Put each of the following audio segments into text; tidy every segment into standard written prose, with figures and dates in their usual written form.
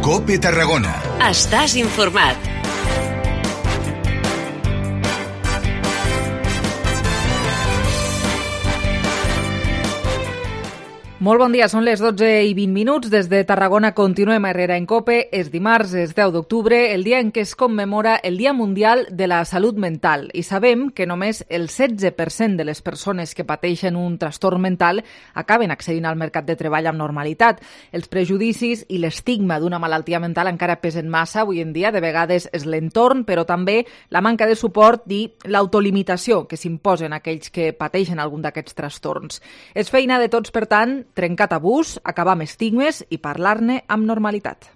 COPE Tarragona. Estàs informat. Molt bon dia, són les 12:20. Des de Tarragona continuem a Herrera en COPE. És dimarts, és 10 d'octubre, el dia en què es commemora el Dia Mundial de la Salut Mental. I sabem que només el 16% de les persones que pateixen un trastorn mental acaben accedint al mercat de treball amb normalitat. Els prejudicis i l'estigma d'una malaltia mental encara pesen massa avui en dia. De vegades és l'entorn, però també la manca de suport i l'autolimitació que s'imposen a aquells que pateixen algun d'aquests trastorns. És feina de tots, per tant, trencar tabús, acabar amb estigmes i parlar-ne amb normalitat.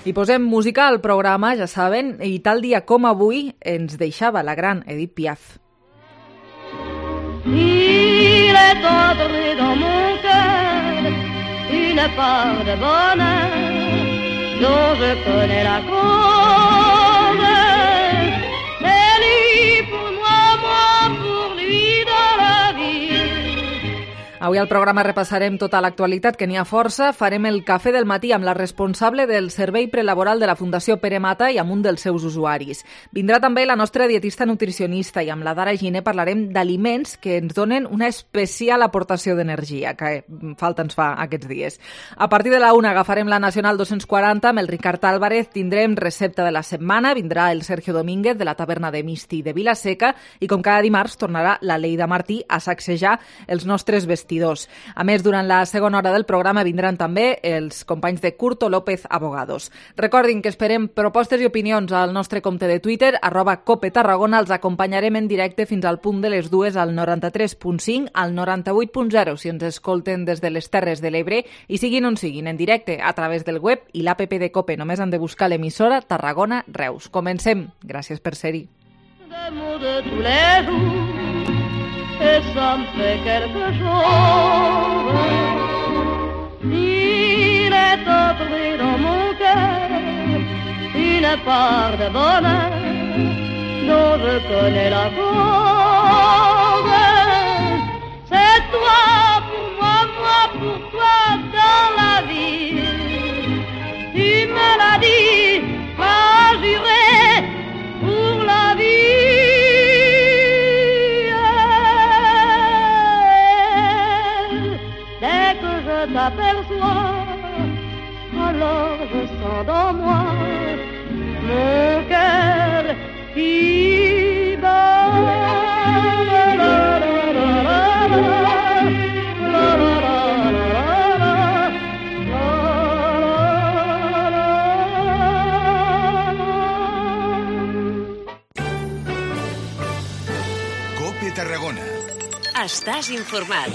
I posem música al programa, ja saben, i tal dia com avui ens deixava la gran Edith Piaf. Il est entré dans mon cœur une part de bonheur dont je connais la cause. C'est lui pour moi, moi pour lui dans la vie. Avui al programa repassarem tota l'actualitat, que n'hi ha força. Farem el cafè del matí amb la responsable del servei prelaboral de la Fundació Pere Mata i amb un dels seus usuaris. Vindrà també la nostra dietista nutricionista i amb la Dara Giner parlarem d'aliments que ens donen una especial aportació d'energia, que falta ens fa aquests dies. A partir de la 1 agafarem la Nacional 240 amb el Ricard Álvarez, tindrem recepta de la setmana, vindrà el Sergio Domínguez de la taverna de Misti de Vilaseca i com cada dimarts tornarà la Leida Martí a sacsejar els nostres vestidors. A més, durant la segona hora del programa vindran també els companys de Curto López Abogados. Recordin que esperem propostes i opinions al nostre compte de Twitter, @Cope Tarragona. Els acompanyarem en directe fins al punt de les 2 al 93.5, al 98.0 si ens escolten des de les Terres de l'Ebre i siguin on siguin, en directe a través del web i l'APP de Cope. Només han de buscar l'emissora Tarragona Reus. Comencem. Gràcies per ser-hi. Et ça me fait quelque chose. Il est entré dans mon cœur une part de bonheur dont je connais la cause. C'est toi pour moi, moi pour toi dans la vie. Tu me l'as dit, m'as juré pour la vie. Je t'aperçois, alors je sens dans moi mon cœur qui bat. COPE Tarragona. Estàs informat.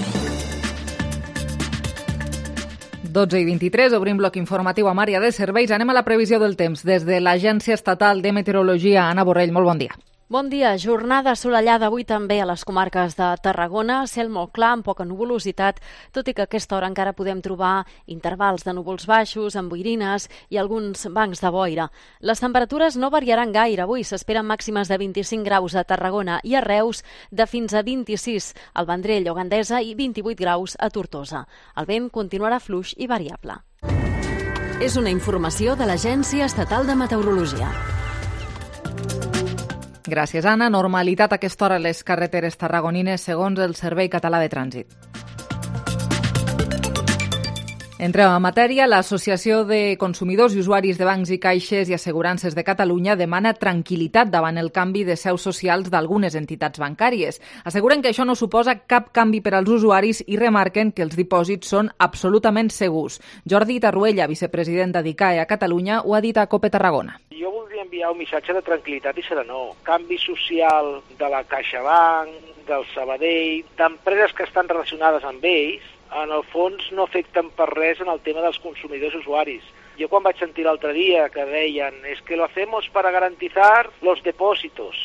12:23, obrim bloc informatiu amb àrea de serveis. Anem a la previsió del temps. Des de l'Agència Estatal de Meteorologia, Anna Borrell, molt bon dia. Bon dia. Jornada assolellada avui també a les comarques de Tarragona, cel molt clar, amb poca nuvolositat, tot i que a aquesta hora encara podem trobar intervals de núvols baixos, amb boirines i alguns bancs de boira. Les temperatures no variaran gaire. Avui s'esperen màximes de 25 graus a Tarragona i a Reus, de fins a 26 al Vendrell o Gandesa i 28 graus a Tortosa. El vent continuarà fluix i variable. És una informació de l'Agència Estatal de Meteorologia. Gràcies, Anna. Normalitat a aquesta hora a les carreteres tarragonines, segons el Servei Català de Trànsit. Entrem en matèria. L'Associació de Consumidors i Usuaris de Bancs i Caixes i Assegurances de Catalunya demana tranquil·litat davant el canvi de seus socials d'algunes entitats bancàries. Asseguren que això no suposa cap canvi per als usuaris i remarquen que els dipòsits són absolutament segurs. Jordi Tarruella, vicepresident d'Adicae a Catalunya, ho ha dit a COPE Tarragona. Jo voldria enviar un missatge de tranquil·litat i serenor. Canvi social de la CaixaBank, del Sabadell, d'empreses que estan relacionades amb ells, en el fons no afecten per res en el tema dels consumidors i usuaris. Jo quan vaig sentir l'altre dia que deien «es que lo hacemos para garantizar los depósitos».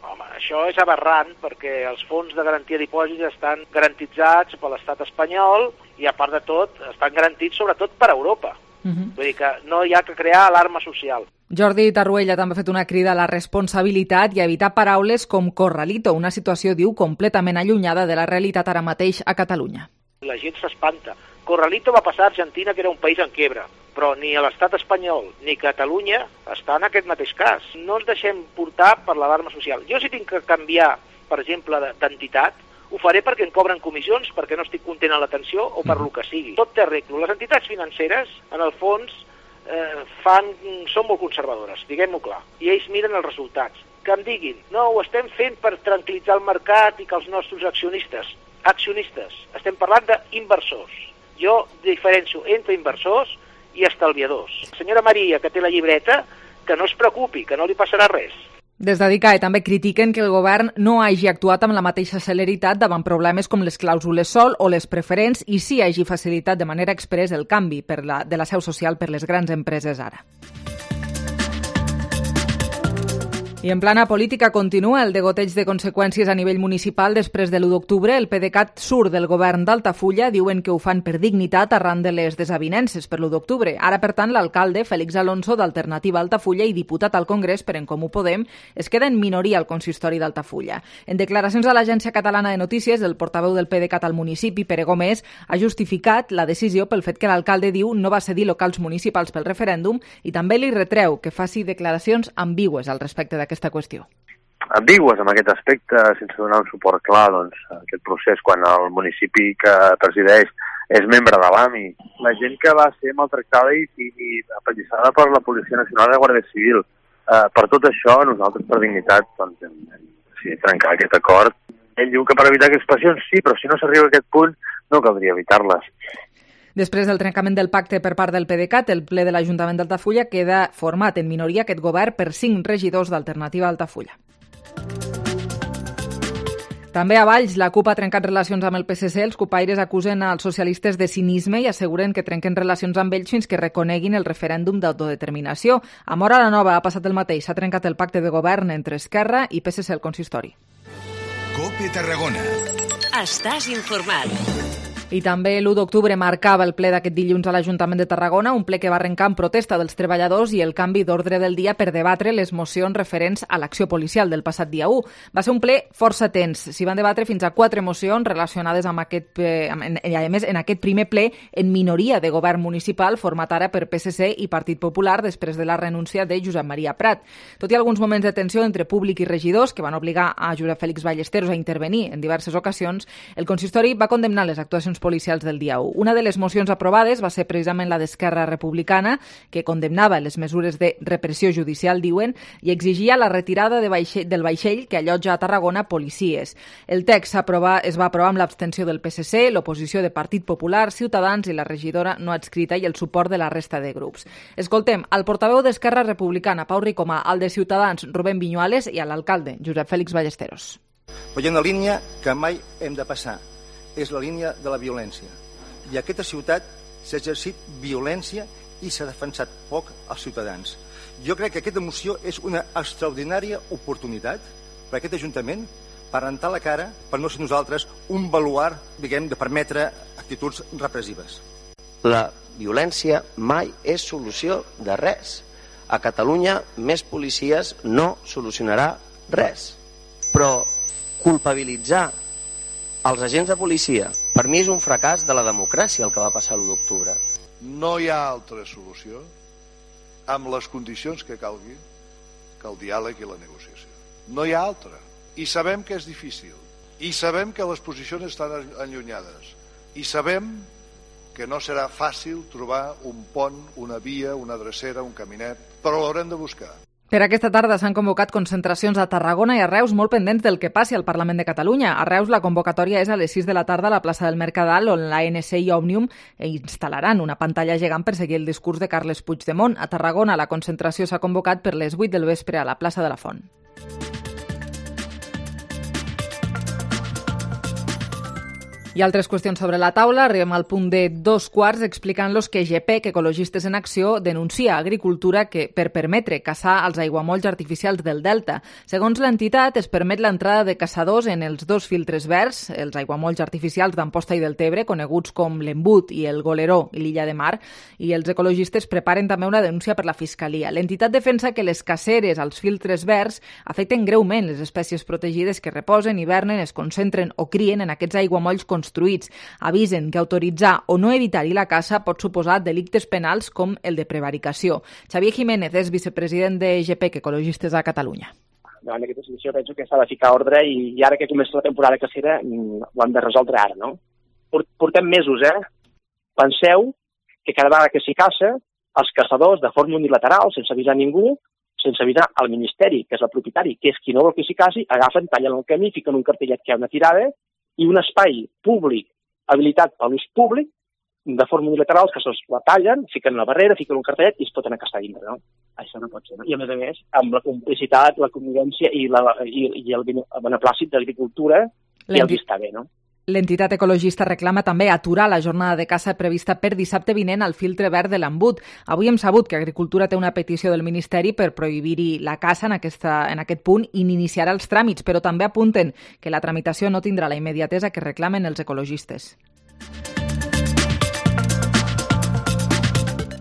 Home, això és aberrant perquè els fons de garantia de dipòsits estan garantitzats per l'estat espanyol i, a part de tot, estan garantits sobretot per Europa. Vull dir que no hi ha que crear alarma social. Jordi Tarruella també ha fet una crida a la responsabilitat i a evitar paraules com corralito, una situació, diu, completament allunyada de la realitat ara mateix a Catalunya. La gent s'espanta. Corralito va passar a Argentina, que era un país en quiebra, però ni l'estat espanyol ni Catalunya està en aquest mateix cas. No ens deixem portar per l'alarma social. Jo si tinc que canviar, per exemple, d'entitat, ho faré perquè em cobren comissions, perquè no estic content amb l'atenció o per lo que sigui. Tot té arreglo. Les entitats financeres, en el fons, són molt conservadores, diguem-ho clar, i ells miren els resultats. Que em diguin, no, ho estem fent per tranquil·litzar el mercat i que els nostres accionistes, estem parlant d'inversors. Jo diferencio entre inversors i estalviadors. La senyora Maria, que té la llibreta, que no es preocupi, que no li passarà res. Des d'Adicae també critiquen que el govern no hagi actuat amb la mateixa celeritat davant problemes com les clàusules sol o les preferents i sí hagi facilitat de manera express el canvi de la seu social per les grans empreses ara. I en plana política continua el degoteig de conseqüències a nivell municipal després de l'1 d'octubre. El PDeCAT surt del govern d'Altafulla, diuen que ho fan per dignitat arran de les desavinences per l'1 d'octubre. Ara, per tant, l'alcalde, Félix Alonso, d'Alternativa Altafulla i diputat al Congrés per En Comú Podem, es queda en minoria al consistori d'Altafulla. En declaracions a l'Agència Catalana de Notícies, el portaveu del PDeCAT al municipi, Pere Gómez, ha justificat la decisió pel fet que l'alcalde diu no va cedir locals municipals pel referèndum i també li retreu que faci declaracions ambigües al respecte d'aquesta qüestió. Ambigües en aquest aspecte, sense donar un suport clar a aquest procés quan el municipi que presideix és membre de l'AMI. La gent que va ser maltractada i apallissada per la Policia Nacional i la Guàrdia Civil. Per tot això, nosaltres per dignitat hem trencat aquest acord. Ell diu que per evitar aquestes passions sí, però si no s'arriba a aquest punt no caldria evitar-les. Després del trencament del pacte per part del PDeCAT, el ple de l'Ajuntament d'Altafulla queda format en minoria aquest govern per 5 regidors d'Alternativa Altafulla. També a Valls, la CUP ha trencat relacions amb el PSC. Els cupaires acusen als socialistes de cinisme i asseguren que trenquen relacions amb ells fins que reconeguin el referèndum d'autodeterminació. A Móra la Nova ha passat el mateix. S'ha trencat el pacte de govern entre Esquerra i PSC al consistori. COPE Tarragona. Estàs informat. I també l'1 d'octubre marcava el ple d'aquest dilluns a l'Ajuntament de Tarragona, un ple que va arrencar en protesta dels treballadors i el canvi d'ordre del dia per debatre les mocions referents a l'acció policial del passat dia 1. Va ser un ple força tens. S'hi van debatre fins a 4 mocions relacionades amb aquest, i a més en aquest primer ple en minoria de govern municipal format ara per PSC i Partit Popular després de la renúncia de Josep Maria Prat. Tot i alguns moments de tensió entre públic i regidors que van obligar a Josep Félix Ballesteros a intervenir en diverses ocasions, el consistori va condemnar les actuacions policials del dia 1. Una de les mocions aprovades va ser precisament la d'Esquerra Republicana, que condemnava les mesures de repressió judicial, diuen, i exigia la retirada del vaixell que allotja a Tarragona policies. El text es va aprovar amb l'abstenció del PSC, l'oposició de Partit Popular, Ciutadans i la regidora no adscrita i el suport de la resta de grups. Escoltem al portaveu d'Esquerra Republicana, Pau Ricomà, al de Ciutadans, Rubén Viñuales, i a l'alcalde, Josep Félix Ballesteros. Hi ha una línia que mai hem de passar. És la línia de la violència. I a aquesta ciutat s'ha exercit violència i s'ha defensat poc als ciutadans. Jo crec que aquesta moció és una extraordinària oportunitat per a aquest Ajuntament per rentar la cara, per no ser nosaltres un baluard, diguem, de permetre actituds repressives. La violència mai és solució de res. A Catalunya més policies no solucionarà res. Però culpabilitzar els agents de policia, per mi és un fracàs de la democràcia el que va passar l'1 d'octubre. No hi ha altra solució amb les condicions que calgui que el diàleg i la negociació. No hi ha altra. I sabem que és difícil. I sabem que les posicions estan allunyades. I sabem que no serà fàcil trobar un pont, una via, una drecera, un caminet, però l'haurem de buscar. Per aquesta tarda s'han convocat concentracions a Tarragona i a Reus molt pendents del que passi al Parlament de Catalunya. A Reus la convocatòria és a les 6 de la tarda a la plaça del Mercadal, on l'ANC i Òmnium instal·laran una pantalla gegant per seguir el discurs de Carles Puigdemont. A Tarragona la concentració s'ha convocat per les 8 del vespre a la plaça de la Font. I altres qüestions sobre la taula. Arribem al punt de 2:15 explicant-los que GPEC, Ecologistes en Acció, denuncia a Agricultura que per permetre caçar els aiguamolls artificials del Delta. Segons l'entitat, es permet l'entrada de caçadors en els 2 filtres verds, els aiguamolls artificials d'Amposta i del Tebre, coneguts com l'Embut i el Goleró i l'Illa de Mar, i els ecologistes preparen també una denúncia per la Fiscalia. L'entitat defensa que les caceres als filtres verds afecten greument les espècies protegides que reposen, hivernen, es concentren o crien en aquests aiguamolls constants construïts. Avisen que autoritzar o no evitar-hi la caça pot suposar delictes penals com el de prevaricació. Xavier Jiménez és vicepresident de GPEC, Ecologistes a Catalunya. Davant d'aquesta situació penso que s'ha de ficar ordre i ara que comença la temporada cacera ho hem de resoldre ara, no? Portem mesos, Penseu que cada vegada que s'hi caça, els caçadors, de forma unilateral, sense avisar ningú, sense avisar al Ministeri, que és el propietari, que és qui no vol que s'hi caci, agafen, tallen el camí, fiquen un cartellet que hi ha una tirada i un espai públic habilitat per l'ús públic, de forma unilateral, els caçadors la tallen, fiquen una barrera, fiquen un cartellet i es foten a caçar dintre, no? Això no pot ser, no? I a més, amb la complicitat, la convivència i el beneplàcit de l'agricultura i el vista bé, no? L'entitat ecologista reclama també aturar la jornada de caça prevista per dissabte vinent al filtre verd de l'Embut. Avui hem sabut que Agricultura té una petició del Ministeri per prohibir-hi la caça en aquest punt i n'iniciarà els tràmits, però també apunten que la tramitació no tindrà la immediatesa que reclamen els ecologistes.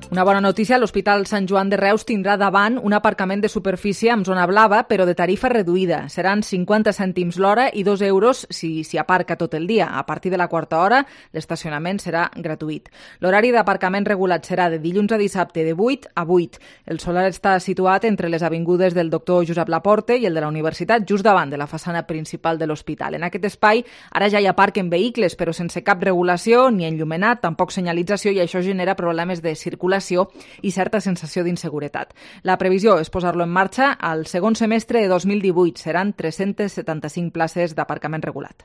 Una bona notícia, l'Hospital Sant Joan de Reus tindrà davant un aparcament de superfície amb zona blava, però de tarifa reduïda. Seran 50 cèntims l'hora i 2 euros si s'hi aparca tot el dia. A partir de la quarta hora, l'estacionament serà gratuït. L'horari d'aparcament regulat serà de dilluns a dissabte de 8 a 8. El solar està situat entre les avingudes del doctor Josep Laporte i el de la Universitat, just davant de la façana principal de l'hospital. En aquest espai ara ja hi aparquen vehicles, però sense cap regulació, ni enllumenat, tampoc senyalització, i això genera problemes de circulació i certa sensació d'inseguretat. La previsió és posar-lo en marxa al segon semestre de 2018. Seran 375 places d'aparcament regulat.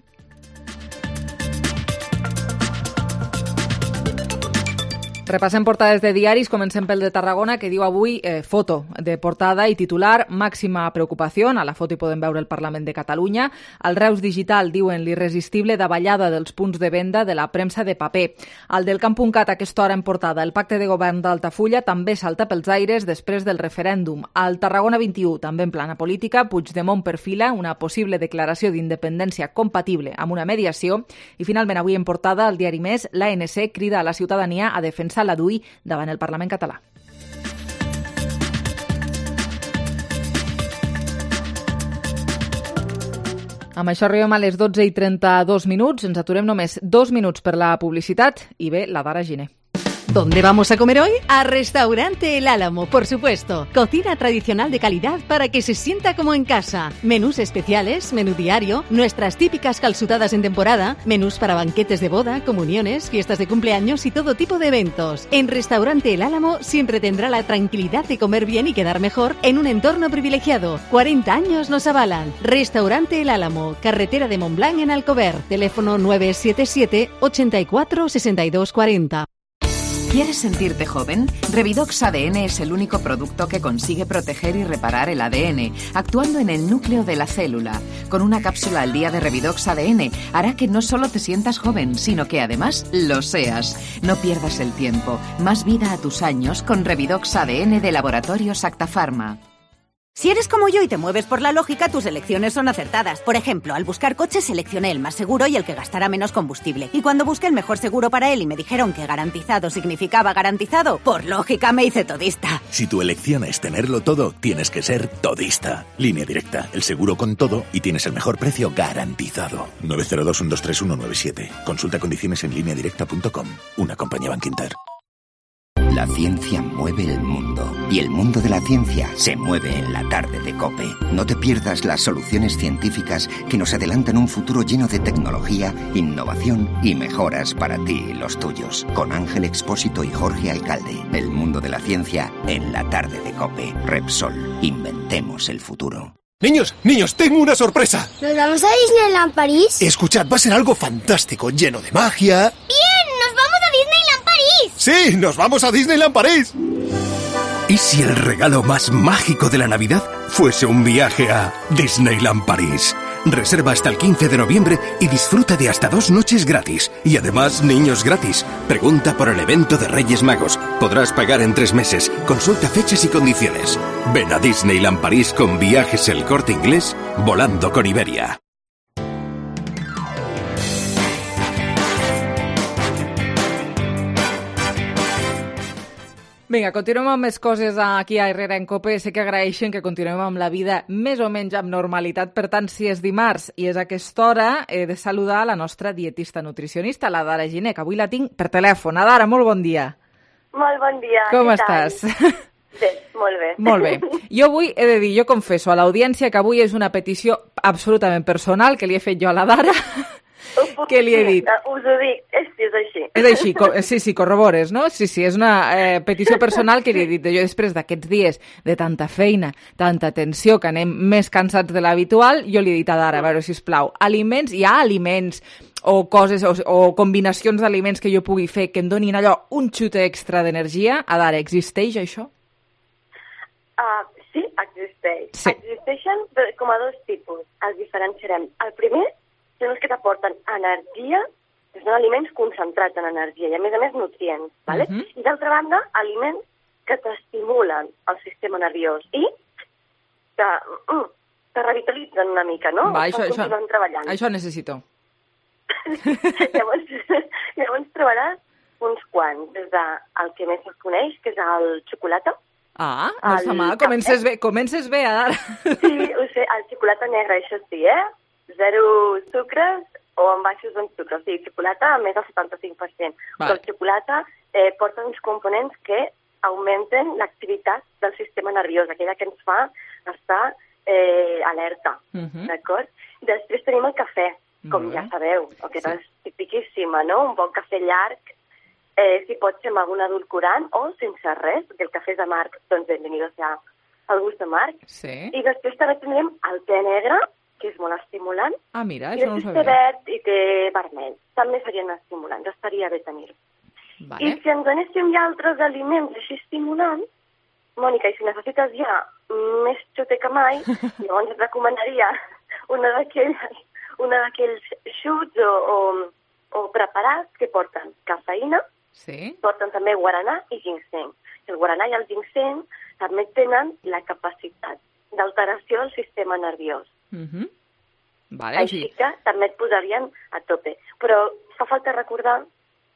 Repassem portades de diaris, comencem pel de Tarragona, que diu avui foto de portada i titular, màxima preocupació. A la foto hi podem veure el Parlament de Catalunya. Al Reus Digital diuen l'irresistible davallada dels punts de venda de la premsa de paper. Al del Camp.cat, a aquesta hora en portada, el pacte de govern d'Altafulla també salta pels aires després del referèndum. Al Tarragona 21, també en plana política, Puigdemont perfila una possible declaració d'independència compatible amb una mediació. I finalment avui en portada, al diari Més, l'ANC crida a la ciutadania a defensar la DUI davant el Parlament català. Amb això arribem a les 12:32. Ens aturem només 2 minuts per la publicitat i ve la Dara Giner. ¿Dónde vamos a comer hoy? A Restaurante El Álamo, por supuesto. Cocina tradicional de calidad para que se sienta como en casa. Menús especiales, menú diario, nuestras típicas calzutadas en temporada, menús para banquetes de boda, comuniones, fiestas de cumpleaños y todo tipo de eventos. En Restaurante El Álamo siempre tendrá la tranquilidad de comer bien y quedar mejor en un entorno privilegiado. 40 años nos avalan. Restaurante El Álamo, carretera de Montblanc en Alcover. Teléfono 977 84 62 40. ¿Quieres sentirte joven? Revidox ADN es el único producto que consigue proteger y reparar el ADN, actuando en el núcleo de la célula. Con una cápsula al día de Revidox ADN hará que no solo te sientas joven, sino que además lo seas. No pierdas el tiempo. Más vida a tus años con Revidox ADN de Laboratorios Acta Pharma. Si eres como yo y te mueves por la lógica, tus elecciones son acertadas. Por ejemplo, al buscar coches seleccioné el más seguro y el que gastará menos combustible. Y cuando busqué el mejor seguro para él y me dijeron que garantizado significaba garantizado, por lógica me hice todista. Si tu elección es tenerlo todo, tienes que ser todista. Línea Directa, el seguro con todo y tienes el mejor precio garantizado. 902-123-197. Consulta condiciones en lineadirecta.com. Una compañía Bankinter. La ciencia mueve el mundo y el mundo de la ciencia se mueve en la tarde de COPE. No te pierdas las soluciones científicas que nos adelantan un futuro lleno de tecnología, innovación y mejoras para ti y los tuyos. Con Ángel Expósito y Jorge Alcalde. El mundo de la ciencia en la tarde de COPE. Repsol. Inventemos el futuro. Niños, tengo una sorpresa. ¿Nos vamos a Disneyland París? Escuchad, va a ser algo fantástico, lleno de magia. ¡Bien! ¡Nos vamos a Disneyland París! ¡Sí! ¡Nos vamos a Disneyland París! ¿Y si el regalo más mágico de la Navidad fuese un viaje a Disneyland París? Reserva hasta el 15 de noviembre y disfruta de hasta 2 noches gratis. Y además, niños gratis. Pregunta por el evento de Reyes Magos. Podrás pagar en 3 meses. Consulta fechas y condiciones. Ven a Disneyland París con Viajes El Corte Inglés, volando con Iberia. Vinga, continuem amb més coses aquí a Herrera en Cope. Sé que agraeixen que continuem amb la vida més o menys amb normalitat. Per tant, si és dimarts i és a aquesta hora, he de saludar la nostra dietista nutricionista, la Dara Giner, que avui la tinc per telèfon. Dara, molt bon dia. Molt bon dia. Com estàs? Bé, molt bé. Molt bé. Jo avui he de dir, jo confesso a l'audiència que avui és una petició absolutament personal que li he fet jo a la Dara, que li he dit. Us ho dic, és així. És així, sí, corrobores, no? Sí, és una petició personal que li he dit. Jo després d'aquests dies de tanta feina, tanta tensió, que anem més cansats de l'habitual, jo li he dit a Dara, a veure, sisplau, aliments, hi ha aliments o coses o combinacions d'aliments que jo pugui fer que em donin allò un xute extra d'energia? A Dara, existeix això? Sí, existeix. Sí. Existeixen com a dos tipus. Els diferenciarem. El primer són els que t'aporten energia, que són aliments concentrats en energia i, a més, nutrients. ¿vale? I, d'altra banda, aliments que t'estimulen el sistema nerviós i te revitalitzen una mica, no? Va, això necessito. Llavors trobaràs uns quants, des del que més es coneix, que és el xocolata. No està mal, comences bé, Dara. Sí, ho sé, el xocolata negre, això sí, Zero sucres o amb baixos en sucre. O sigui, xocolata a més del 75%. Però el xocolata porta uns components que augmenten l'activitat del sistema nerviós, aquella que ens fa estar alerta, d'acord? Després tenim el cafè, com ja sabeu, que és tipiquíssima, no? Un bon cafè llarg, si pot ser amb algun edulcorant o sense res, perquè el cafè és amarg, doncs benvenido sea el gust amarg. I després també tindrem el te negre, que és molt estimulant. Mira, això no ho sabia. I té verd i té vermell. També serien estimulants, estaria bé tenir-ho. I si ens anéssim ja a altres aliments així estimulants, Mònica, i si necessites ja més xute que mai, llavors et recomanaria una d'aquells xuts o preparats que porten cafeïna, porten també guaranà i ginseng. El guaranà i el ginseng també tenen la capacitat d'alteració del sistema nerviós. Així que també et posarien a tope. Però fa falta recordar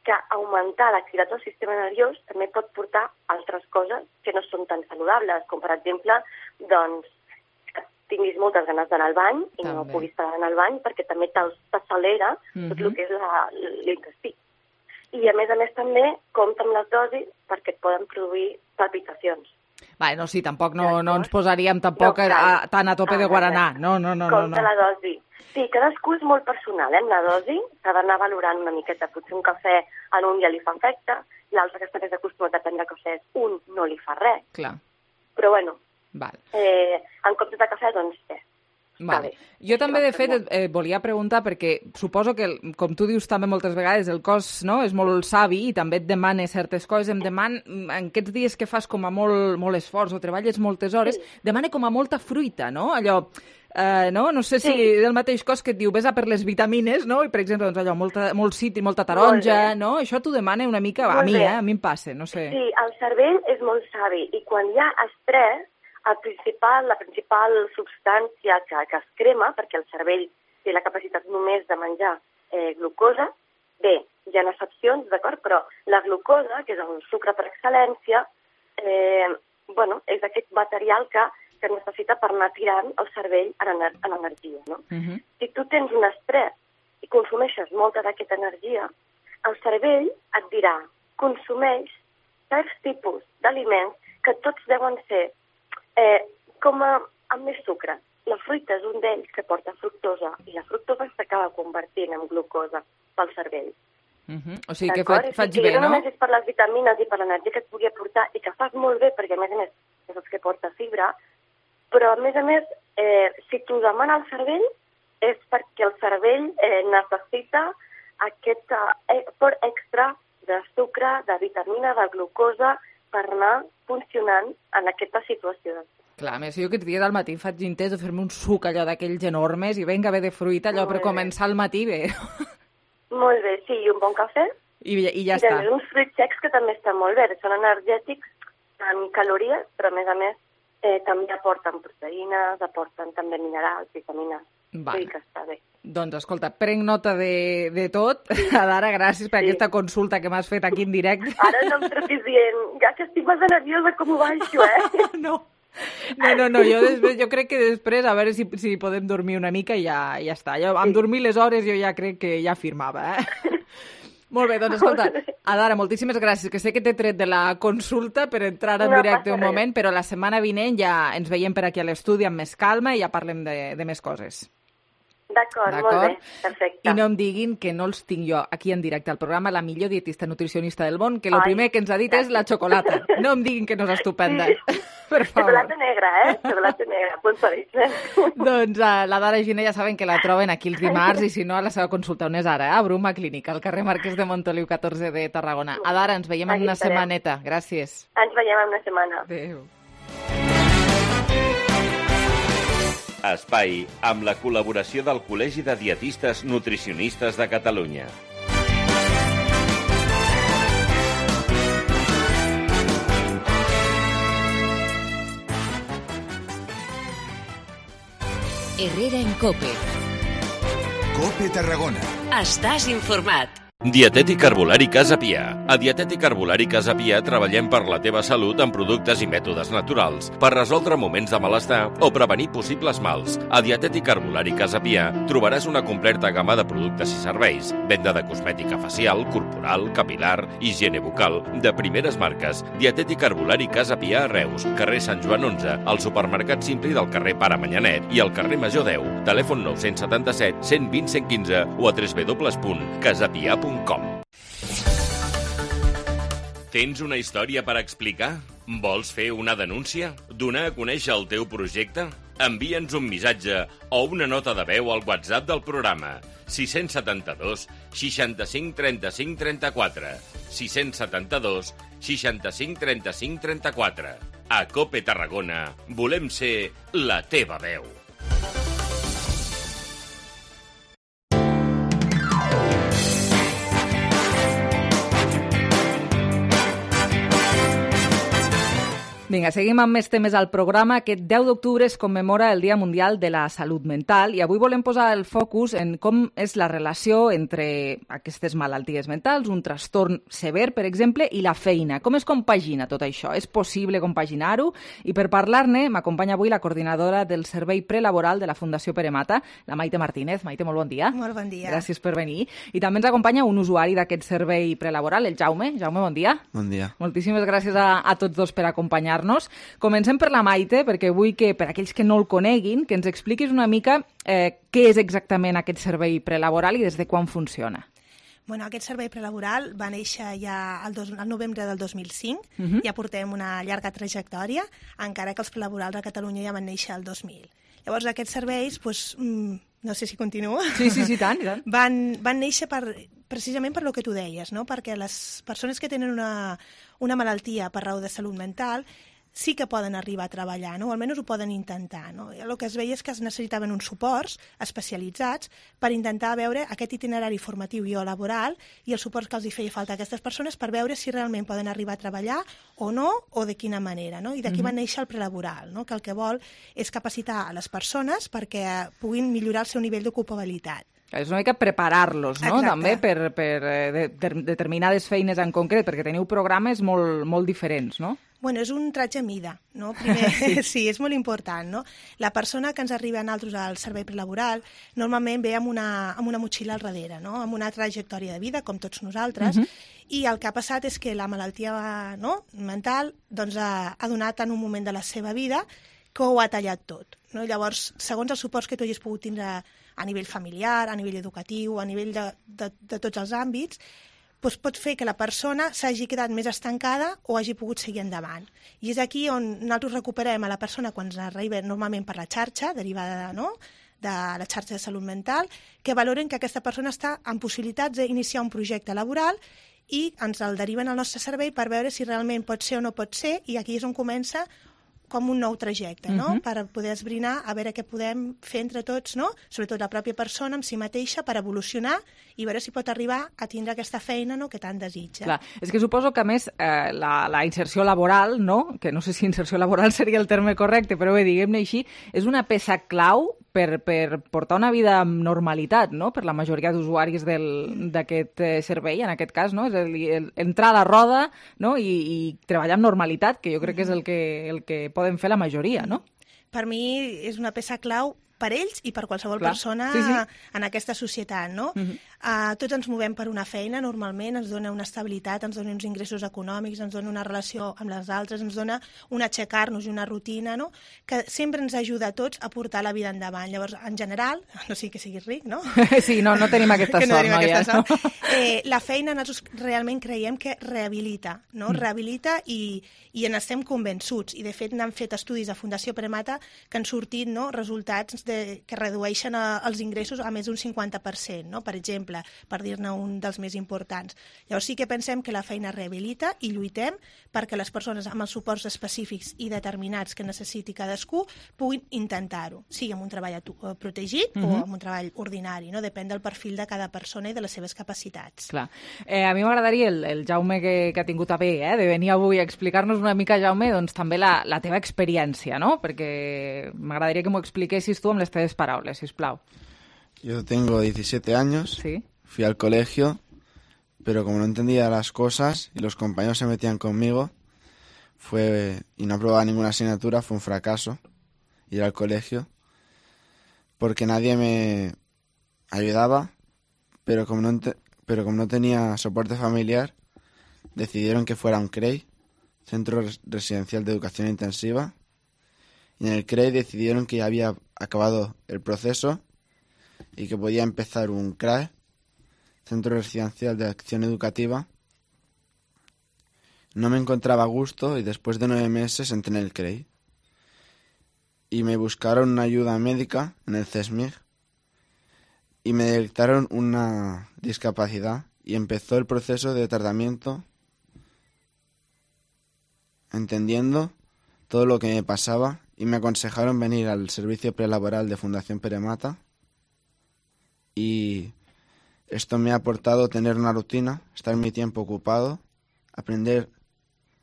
que augmentar l'activitat del sistema nerviós també pot portar altres coses que no són tan saludables, com per exemple, doncs, que tinguis moltes ganes d'anar al bany i no puguis estar en el bany perquè també t'accelera tot el que és l'intestí. I a més també compta amb les dosis perquè et poden produir palpitacions. Sí, tampoc no ens posaríem tampoc tan a tope de guaranà. No. Compte la dosi. Sí, cadascú és molt personal, amb la dosi. S'ha d'anar valorant una miqueta. Potser un cafè a un ja li fa efecte, l'altre que està més acostumat a prendre cafès, un no li fa res. Clar. Però bueno, en comptes de cafè, doncs Vale. Jo també, de fet, volia preguntar, perquè suposo que, com tu dius també moltes vegades, el cos és molt savi i també et demana certes coses. Em demana, en aquests dies que fas com a molt esforç o treballes moltes hores, demana com a molta fruita, no? Allò, no sé si del mateix cos que et diu, vés a per les vitamines, no? I, per exemple, doncs allò, molt citri, molta taronja, no? Això t'ho demana una mica, a mi em passa, no sé. Sí, el cervell és molt savi i quan hi ha estrès, la principal substància que es crema, perquè el cervell té la capacitat només de menjar glucosa, bé, hi ha excepcions, d'acord, però la glucosa, que és el sucre per excel·lència, és aquest material que necessita per anar tirant el cervell en energia, no? Si tu tens un estrès i consumeixes molta d'aquesta energia, el cervell et dirà, consumeix certs tipus d'aliments que tots deuen ser amb més sucre. La fruita és un d'ells que porta fructosa i la fructosa s'acaba convertint en glucosa pel cervell. O sigui que faig bé, no? No només és per les vitamines i per l'energia que et pugui aportar i que fas molt bé perquè, a més, és el que porta fibra, però, a més, si t'ho demana el cervell és perquè el cervell necessita aquest aport extra de sucre, de vitamina, de glucosa, per anar funcionant en aquesta situació. Clar, a més, jo aquests dies al matí faig intents de fer-me un suc allò d'aquells enormes i vinga bé de fruita allò per començar el matí bé. Molt bé, sí, i un bon cafè. I ja està. I uns fruits secs que també estan molt bé, són energètics en calories, però a més també aporten proteïnes, aporten també minerals, vitamines. Vull dir que està bé. Doncs escolta, prenc nota de tot. Adara, gràcies per aquesta consulta que m'has fet aquí en directe. Ara no em trepis dient, ja que estic massa nerviosa com ho baixo, No, jo crec que després a veure si podem dormir una mica i ja està. Amb dormir les hores jo ja crec que ja firmava, Molt bé, doncs escolta, Adara, moltíssimes gràcies, que sé que t'he tret de la consulta per entrar en directe un moment, però la setmana vinent ja ens veiem per aquí a l'estudi amb més calma i ja parlem de més coses. D'acord, molt bé, perfecte. I no em diguin que no els tinc jo aquí en directe al programa, la millor dietista nutricionista del món, que el primer que ens ha dit és la xocolata. No em diguin que no és estupenda. Per favor. Xocolata negra, Xocolata negra, apuntadís. Doncs la Dara Giner ja saben que la troben aquí els dimarts i si no a la seva consulta on és ara, a Bruma Clínica, al carrer Marquès de Montoliu 14 de Tarragona. Adara, ens veiem en una setmaneta. Gràcies. Ens veiem en una setmana. Adéu. Espai amb la col·laboració del Col·legi de Dietistes Nutricionistes de Catalunya. Herrera en COPE. COPE Tarragona. Estàs informat. Dietètic Herbolari Casa Pia. A Dietètic Herbolari Casa Pia treballem per la teva salut amb productes i mètodes naturals per resoldre moments de malestar o prevenir possibles mals. A Dietètic Herbolari Casa Pia trobaràs una completa gamma de productes i serveis, venda de cosmètica facial, corporal, capilar, higiene bucal, de primeres marques. Dietètic Herbolari Casa Pia a Reus, carrer Sant Joan 11, al supermercat Simpli del carrer Pare Manyanet i al carrer Major 10. Telèfon 977 120 115 o a www.casapia.com. Tens una història per explicar? Vols fer una denúncia? Donar a conèixer el teu projecte? Envia'ns un missatge o una nota de veu al WhatsApp del programa 672 65 35 34 672 65 35 34. A COPE Tarragona volem ser la teva veu. Vinga, seguim amb més temes al programa. Aquest 10 d'octubre es commemora el Dia Mundial de la Salut Mental i avui volem posar el focus en com és la relació entre aquestes malalties mentals, un trastorn sever, per exemple, i la feina. Com es compagina tot això? És possible compaginar-ho? I per parlar-ne m'acompanya avui la coordinadora del Servei Prelaboral de la Fundació Pere Mata, la Maite Martínez. Maite, molt bon dia. Molt bon dia. Gràcies per venir. I també ens acompanya un usuari d'aquest servei prelaboral, el Jaume. Jaume, bon dia. Bon dia. Moltíssimes gràcies a tots dos per acompanyar-nos. Comencem per la Maite, perquè vull que, per aquells que no el coneguin, que ens expliquis una mica què és exactament aquest servei prelaboral i des de quan funciona. Bueno, aquest servei prelaboral va néixer ja al novembre del 2005, ja portem una llarga trajectòria, encara que els prelaborals a Catalunya ja van néixer el 2000. Llavors, aquests serveis, no sé si continuo. Sí, tant, i tant. Van néixer precisament per lo que tu deies, no? Perquè les persones que tenen una malaltia per raó de salut mental sí que poden arribar a treballar, no? O almenys ho poden intentar, no? I el que es veia és que es necessitaven uns suports especialitzats per intentar veure aquest itinerari formatiu i o laboral i els suports que els hi feia falta a aquestes persones per veure si realment poden arribar a treballar o no, o de quina manera, no? I d'aquí va néixer el prelaboral, no? Que el que vol és capacitar a les persones perquè puguin millorar el seu nivell d'ocupabilitat. És una mica preparar-los, no? Exacte. També per determinades feines en concret, perquè teniu programes molt diferents, no? Bueno, és un tratge a mida, no? Primer, sí, és molt important, no? La persona que ens arriba a nosaltres al servei prelaboral normalment ve amb una motxilla al darrere, no? Amb una trajectòria de vida, com tots nosaltres, i el que ha passat és que la malaltia mental ha donat en un moment de la seva vida que ho ha tallat tot, no? Llavors, segons els suports que tu hagis pogut tindre a nivell familiar, a nivell educatiu, a nivell de tots els àmbits, pot fer que la persona s'hagi quedat més estancada o hagi pogut seguir endavant. I és aquí on nosaltres recuperem a la persona quan ens arriba normalment per la xarxa, derivada de la xarxa de salut mental, que valoren que aquesta persona està en possibilitats d'iniciar un projecte laboral i ens el deriven al nostre servei per veure si realment pot ser o no pot ser, i aquí és on comença com un nou trajecte, no? Per poder esbrinar a veure què podem fer entre tots, no? Sobretot la pròpia persona amb si mateixa per evolucionar i veure si pot arribar a tindre aquesta feina, no?, que tant desitja. Clar, és que suposo que a més la inserció laboral, no?, que no sé si inserció laboral seria el terme correcte, però bé, diguem-ne així, és una peça clau per portar una vida amb normalitat, no?, per la majoria d'usuaris d'aquest servei, en aquest cas, no?, és a dir, entrar a la roda, no?, i treballar amb normalitat, que jo crec que és el que poden fer la majoria, no? Per mi és una peça clau per ells i per qualsevol persona en aquesta societat, no? Tots ens movem per una feina, normalment, ens dona una estabilitat, ens dona uns ingressos econòmics, ens dona una relació amb les altres, ens dona un aixecar-nos i una rutina, no?, que sempre ens ajuda a tots a portar la vida endavant. Llavors, en general, no sigui que siguis ric, no? Sí, no tenim aquesta sort, noies. La feina, nosaltres realment creiem que rehabilita, no? Rehabilita i en estem convençuts. I, de fet, n'han fet estudis a Fundació Premata que han sortit, no?, resultats que redueixen els ingressos a més d'un 50%, no?, per exemple, per dir-ne un dels més importants. Llavors sí que pensem que la feina rehabilita i lluitem perquè les persones amb els suports específics i determinats que necessiti cadascú puguin intentar-ho, sigui amb un treball protegit o amb un treball ordinari, no? Depèn del perfil de cada persona i de les seves capacitats. Clar. A mi m'agradaria el Jaume que ha tingut a bé de venir avui a explicar-nos una mica, Jaume, doncs també la teva experiència, no? Perquè m'agradaria que m'ho expliquessis tu amb les teves paraules, sisplau. Yo tengo 17 años, ¿sí? Fui al colegio, pero como no entendía las cosas y los compañeros se metían conmigo y no aprobaba ninguna asignatura, fue un fracaso ir al colegio, porque nadie me ayudaba, pero como no tenía soporte familiar, decidieron que fuera un CREI, Centro Residencial de Educación Intensiva, y en el CREI decidieron que ya había acabado el proceso y que podía empezar un CRAE, Centro Residencial de Acción Educativa. No me encontraba a gusto y después de 9 meses entré en el CREI. Y me buscaron una ayuda médica en el CESMIG y me detectaron una discapacidad y empezó el proceso de tratamiento entendiendo todo lo que me pasaba y me aconsejaron venir al servicio prelaboral de Fundación Peremata y esto me ha aportado tener una rutina, estar mi tiempo ocupado, aprender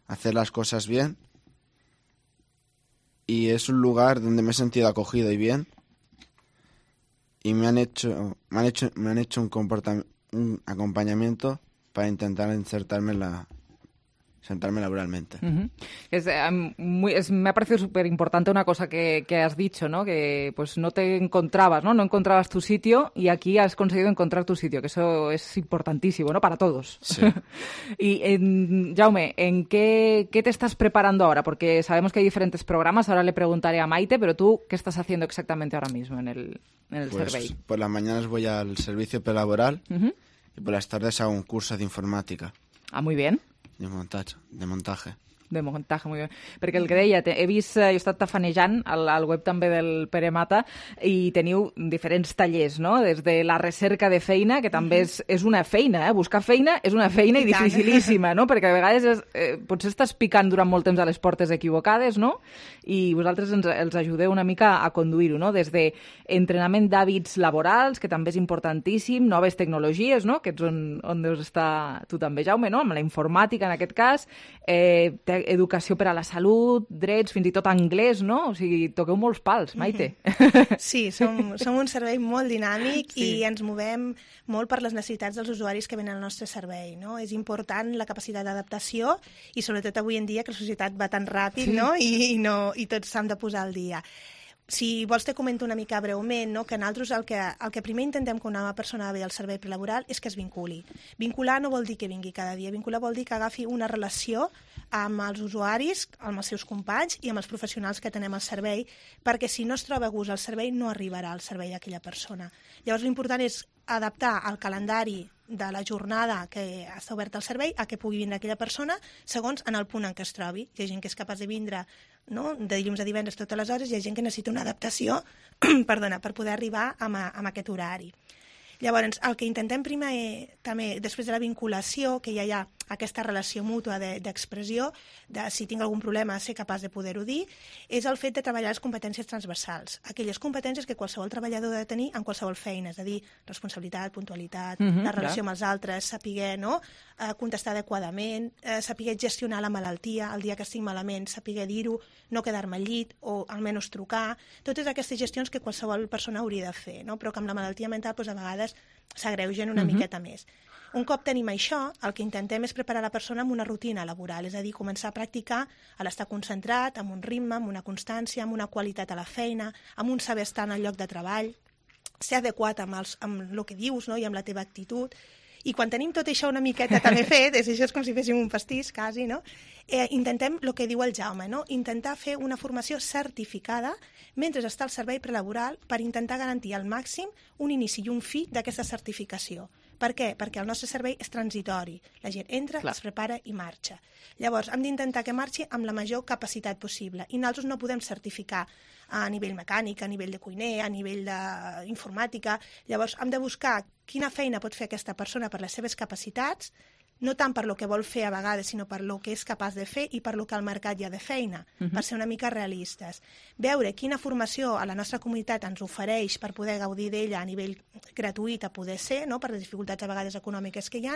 a hacer las cosas bien y es un lugar donde me he sentido acogido y bien y me han hecho un acompañamiento para intentar insertarme laboralmente. Me ha parecido súper importante una cosa que has dicho, ¿no? Que pues no te encontrabas, ¿no? No encontrabas tu sitio y aquí has conseguido encontrar tu sitio, que eso es importantísimo, ¿no? Para todos. Sí. Y, Jaume, ¿en qué te estás preparando ahora? Porque sabemos que hay diferentes programas, ahora le preguntaré a Maite, pero tú, ¿qué estás haciendo exactamente ahora mismo en el Servei? Por las mañanas voy al servicio prelaboral y por las tardes hago un curso de informática. Ah, muy bien. De montaje. De muntatge, molt bé. Perquè el que deia, he vist, jo he estat tafanejant al web també del Peremata i teniu diferents tallers, no? Des de la recerca de feina, que també és una feina, buscar feina és una feina i dificilíssima, no? Perquè a vegades potser estàs picant durant molt temps a les portes equivocades, no? I vosaltres els ajudeu una mica a conduir-ho, no? Des de entrenament d'hàbits laborals, que també és importantíssim, noves tecnologies, no? Que ets on deus estar tu també, Jaume, no? Amb la informàtica, en aquest cas, educació per a la salut, drets, fins i tot anglès, no? O sigui, toqueu molts pals, Maite. Sí, som un servei molt dinàmic i ens movem molt per les necessitats dels usuaris que venen al nostre servei, no? És important la capacitat d'adaptació i sobretot avui en dia que la societat va tan ràpid, no? I tots s'han de posar al dia. Si vols te comento una mica breument, no? Que nosaltres el que primer intentem quan una persona ve al servei prelaboral és que es vinculi. Vincular no vol dir que vingui cada dia, vincular vol dir que agafi una relació amb els usuaris, amb els seus companys i amb els professionals que tenem al servei, perquè si no es troba a gust al servei no arribarà al servei d'aquella persona. Llavors l'important és adaptar el calendari de la jornada que està oberta al servei a que pugui vindre aquella persona segons en el punt en què es trobi. Hi ha gent que és capaç de vindre, no? De dilluns a divendres totes les hores, hi ha gent que necessita una adaptació per poder arribar a aquest horari. Llavors, el que intentem primer, també, després de la vinculació, que ja hi ha aquesta relació mútua d'expressió, de si tinc algun problema ser capaç de poder-ho dir, és el fet de treballar les competències transversals, aquelles competències que qualsevol treballador ha de tenir en qualsevol feina, és a dir, responsabilitat, puntualitat, la relació amb els altres, saber contestar adequadament, saber gestionar la malaltia, el dia que estic malament, saber dir-ho, no quedar-me al llit o almenys trucar, totes aquestes gestions que qualsevol persona hauria de fer, no? Però que amb la malaltia mental a vegades s'agreugen una miqueta més. Un cop tenim això, el que intentem és preparar la persona amb una rutina laboral, és a dir, començar a practicar a l'estar concentrat, amb un ritme, amb una constància, amb una qualitat a la feina, amb un saber estar en el lloc de treball, ser adequat amb el que dius, no? I amb la teva actitud. I quan tenim tot això una miqueta també fet, això és com si féssim un pastís, quasi, no? Intentem el que diu el Jaume, no? Intentar fer una formació certificada mentre està al servei prelaboral per intentar garantir al màxim un inici i un fi d'aquesta certificació. Per què? Perquè el nostre servei és transitori. La gent entra, es prepara i marxa. Llavors, hem d'intentar que marxi amb la major capacitat possible. I nosaltres no podem certificar a nivell mecànic, a nivell de cuiner, a nivell d'informàtica. Llavors, hem de buscar quina feina pot fer aquesta persona per les seves capacitats, no tant per lo que vol fer a vegades, sinó per lo que és capaç de fer i per lo que al mercat hi ha de feina, per ser una mica realistes. Veure quina formació a la nostra comunitat ens ofereix per poder gaudir d'ella a nivell gratuït a poder ser, no? Per les dificultats a vegades econòmiques que hi ha,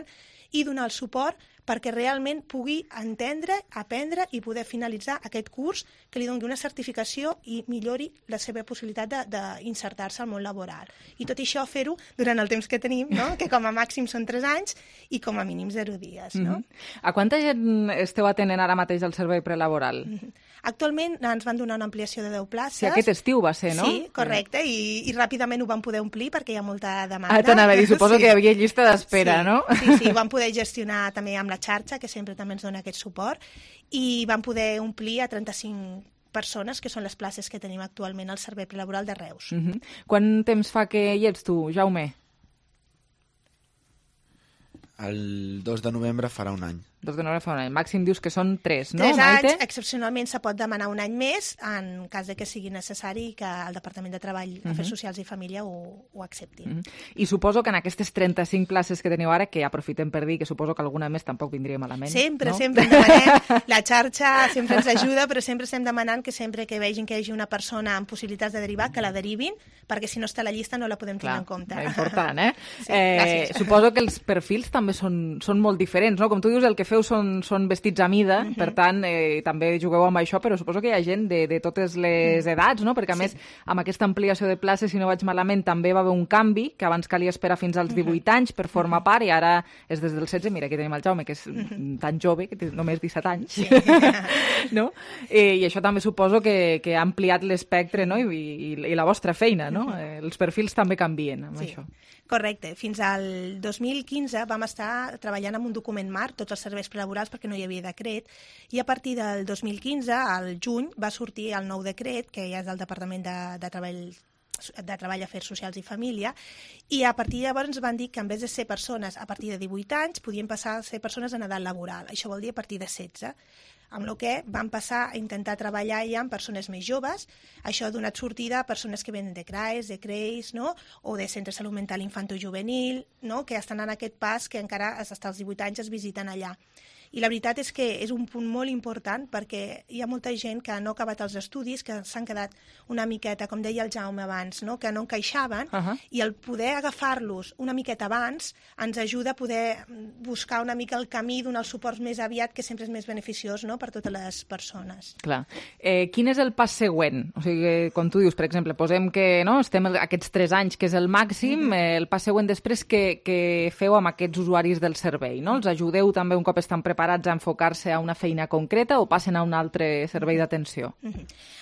i donar el suport perquè realment pugui entendre, aprendre i poder finalitzar aquest curs que li doni una certificació i millori la seva possibilitat d'insertar-se al món laboral. I tot això fer-ho durant el temps que tenim, no? Que com a màxim són 3 anys i com a mínim 0 dies. No? A quanta gent esteu atenent ara mateix al servei prelaboral? Actualment ens van donar una ampliació de 10 places. Sí, aquest estiu va ser, no? Sí, correcte, i ràpidament ho van poder omplir perquè hi ha molta demanda. T'anava a dir, suposo que hi havia llista d'espera, no? Sí, ho vam poder gestionar també amb la xarxa, que sempre també ens dona aquest suport, i vam poder omplir a 35 persones, que són les places que tenim actualment al servei prelaboral de Reus. Quant temps fa que hi ets tu, Jaume? El 2 de novembre farà un any. 2 de novembre fa un any. Màxim dius que són 3, no, 3 anys, Maite? excepcionalment se pot demanar un any més en cas de que sigui necessari que el Departament de Treball, Afers Socials i Família ho accepti. I suposo que en aquestes 35 places que teniu ara, que aprofitem per dir que suposo que alguna més tampoc vindria malament. Sempre, no? sempre en demanem. La xarxa sempre ens ajuda, però sempre estem demanant que sempre que vegin que hi hagi una persona amb possibilitats de derivar, que la derivin, perquè si no està a la llista no la podem tenir en compte. Important, eh? Sí, suposo que els perfils també són molt diferents, no? Com tu dius, el que feu són vestits a mida, per tant, també jugueu amb això, però suposo que hi ha gent de totes les edats, no? Perquè, a més, amb aquesta ampliació de places, si no vaig malament, també va haver un canvi, que abans calia esperar fins als 18 anys per formar part, i ara és des dels 16, mira, aquí tenim el Jaume, que és tan jove, que té només 17 anys, no? I això també suposo que ha ampliat l'espectre, no? I la vostra feina, no? Els perfils també canvien amb això. Correcte. Fins al 2015 vam estar treballant amb un document marc, tots els serveis prelaborals, perquè no hi havia decret, i a partir del 2015, al juny, va sortir el nou decret, que ja és del Departament de Treball, Afers Socials i Família, i a partir de llavors ens van dir que en vez de ser persones a partir de 18 anys, podien passar a ser persones en edat laboral. Això vol dir a partir de 16. Amb el que vam passar a intentar treballar ja amb persones més joves. Això ha donat sortida a persones que venen de CRAES, de CREIS, no? O de Centre de Salut Mental Infantojuvenil, no? Que estan en aquest pas que encara fins als 18 anys es visiten allà. I la veritat és que és un punt molt important perquè hi ha molta gent que no ha acabat els estudis, que s'han quedat una miqueta, com deia el Jaume abans, no? Que no encaixaven, i el poder agafar-los una miqueta abans ens ajuda a poder buscar una mica el camí, donar els suports més aviat, que sempre és més beneficiós, no? Per totes les persones. Clar. Quin és el pas següent? O sigui, com tu dius, per exemple, posem que estem aquests 3 anys, que és el màxim, el pas següent després que feu amb aquests usuaris del servei, no? Els ajudeu també un cop estan preparats a enfocar-se a una feina concreta o passen a un altre servei d'atenció?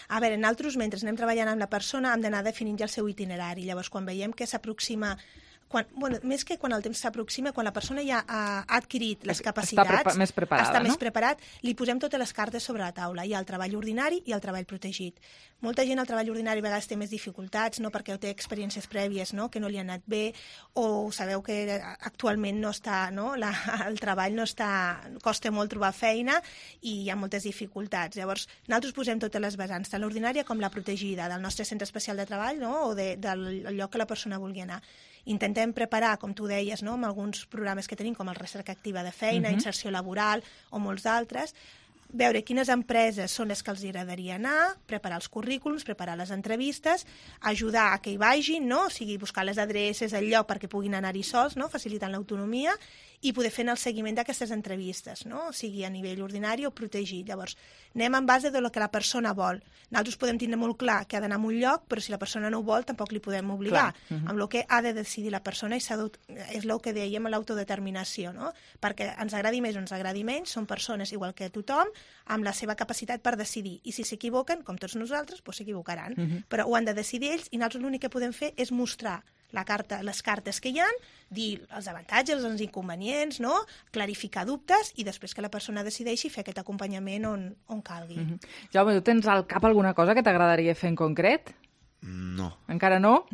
A veure, nosaltres, mentre anem treballant amb la persona, hem d'anar definint ja el seu itinerari. Llavors, quan veiem que s'aproxima... més que quan el temps s'aproxima, quan la persona ja ha adquirit les capacitats, està més preparat, li posem totes les cartes sobre la taula. Hi ha el treball ordinari i el treball protegit. Molta gent al treball ordinari a vegades té més dificultats, no? Perquè té experiències prèvies, no? Que no li han anat bé, o sabeu que actualment no està, no? El treball no està... costa molt trobar feina i hi ha moltes dificultats. Llavors, nosaltres posem totes les vessants, tant l'ordinària com la protegida, del nostre centre especial de treball, no? O del lloc que la persona vulgui anar. intentem preparar, com tu deies, no? Amb alguns programes que tenim, com el Recerca Activa de Feina, Inserció Laboral o molts d'altres, veure quines empreses són les que els agradaria anar, preparar els currículums, preparar les entrevistes, ajudar a que hi vagin, no? O sigui, buscar les adreces, el lloc perquè puguin anar-hi sols, no? Facilitant l'autonomia, i poder fer el seguiment d'aquestes entrevistes, no? O sigui, a nivell ordinari o protegit. Llavors, anem en base de lo que la persona vol. Nosaltres podem tindre molt clar que ha d'anar a un lloc, però si la persona no ho vol, tampoc li podem obligar. Amb el que ha de decidir la persona, és el que dèiem a l'autodeterminació, no? Perquè ens agradi més o ens agradi menys, són persones igual que tothom, amb la seva capacitat per decidir. I si s'equivoquen, com tots nosaltres, doncs s'equivocaran. Però ho han de decidir ells i nosaltres l'únic que podem fer és mostrar les cartes que hi ha, dir els avantatges, els inconvenients, no? Clarificar dubtes i després que la persona decideixi fer aquest acompanyament on calgui. Jaume, tu tens al cap alguna cosa que t'agradaria fer en concret? No. Encara no?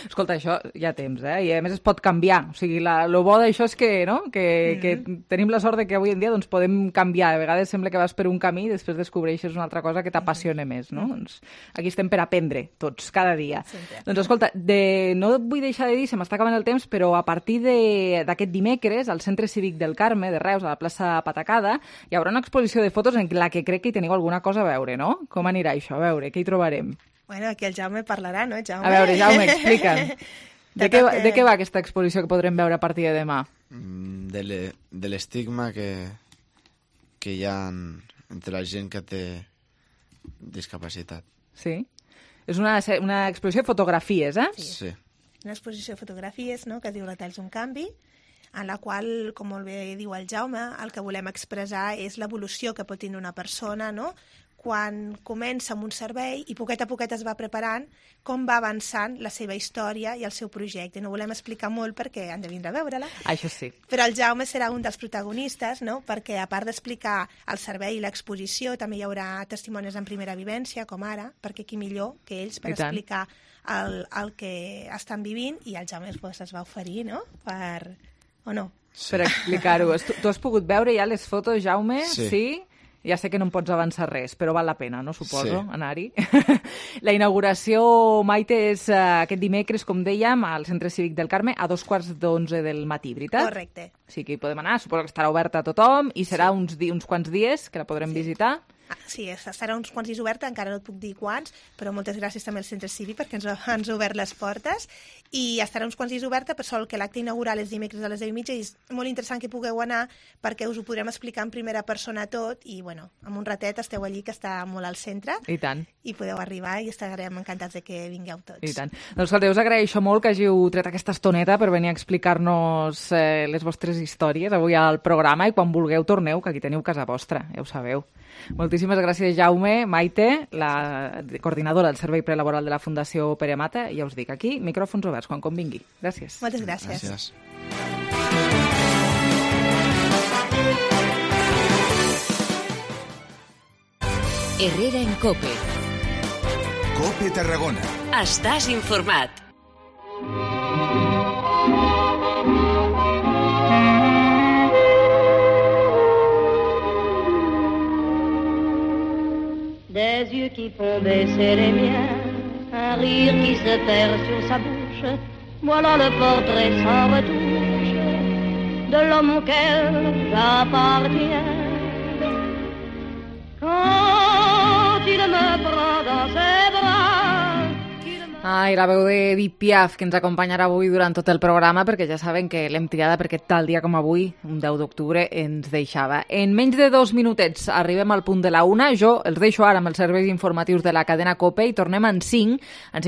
Escolta, això ja temps, I a més es pot canviar. O sigui, lo bo d'això és que, no? que tenim la sort de que avui en dia doncs, podem canviar. A vegades sembla que vas per un camí i després descobreixes una altra cosa que t'apassiona més, no? Doncs aquí estem per aprendre, tots, cada dia. Doncs escolta, no vull deixar de dir, se m'està acabant el temps, però a partir d'aquest dimecres, al Centre Cívic del Carme, de Reus, a la plaça Patacada, hi haurà una exposició de fotos en la que crec que hi teniu alguna cosa a veure, no? Com anirà això? A veure, què hi trobarem? Bueno, aquí el Jaume parlarà, no, Jaume? A veure, Jaume, explica'm. De què va aquesta exposició que podrem veure a partir de demà? De l'estigma que hi ha entre la gent que té discapacitat. Sí? És una exposició de fotografies, Sí. Una exposició de fotografies, no?, que diu La Talls un canvi, en la qual, com molt bé diu el Jaume, el que volem expressar és l'evolució que pot tenir una persona, no?, quan comença amb un servei i poquet a poquet es va preparant com va avançant la seva història i el seu projecte. No volem explicar molt perquè han de vindre a veure-la. Això sí. Però el Jaume serà un dels protagonistes, no? Perquè a part d'explicar el servei i l'exposició, també hi haurà testimonis en primera vivència, com ara, perquè qui millor que ells per explicar el que estan vivint, i el Jaume es va oferir, no?, o no? Per explicar-ho. Tu has pogut veure ja les fotos, Jaume? Sí? Ja sé que no em pots avançar res, però val la pena, no? Suposo, anar-hi. La inauguració, Maite, és aquest dimecres, com dèiem, al Centre Cívic del Carme, a 11:15 del matí, veritat? Correcte. Sí que hi podem anar, suposo que estarà oberta a tothom, i serà uns quants dies que la podrem visitar. Sí, estarà uns quants dies oberta, encara no et puc dir quants, però moltes gràcies també al Centre Cívic perquè ens ha obert les portes, i estarà uns quants dies oberta, però sol que l'acte inaugural és dimecres a les 10:30 i és molt interessant que pugueu anar perquè us ho podrem explicar en primera persona tot i, bueno, en un ratet esteu allí, que està molt al centre. I tant. I podeu arribar i estarem encantats de que vingueu tots. I tant. Doncs escolta, us agraeixo molt que hàgiu tret aquesta estoneta per venir a explicar-nos les vostres històries avui al programa, i quan vulgueu torneu, que aquí teniu casa vostra, ja ho sabeu. Moltíssimes gràcies, Jaume. Maite, la coordinadora del Servei Prelaboral de la Fundació Pere Mata, ja us dic, aquí, micròfons oberts, quan convingui. Gràcies. Moltes gràcies. Gràcies. Herrera en COPE. COPE Tarragona. Estàs informat. Des yeux qui font baisser les miens, un rire qui se perd sur sa bouche, voilà le portrait sans retouche de l'homme auquel j'appartiens. Quand il me prend dans ses bras, Ai, la veu de Edith Piaf, que ens acompanyarà avui durant tot el programa, perquè ja saben que l'hem triada perquè tal dia com avui, un 10 d'octubre, ens deixava. En menys de 2 minutets arribem al punt de la 1. Jo els deixo ara amb els serveis informatius de la cadena COPE i tornem en 5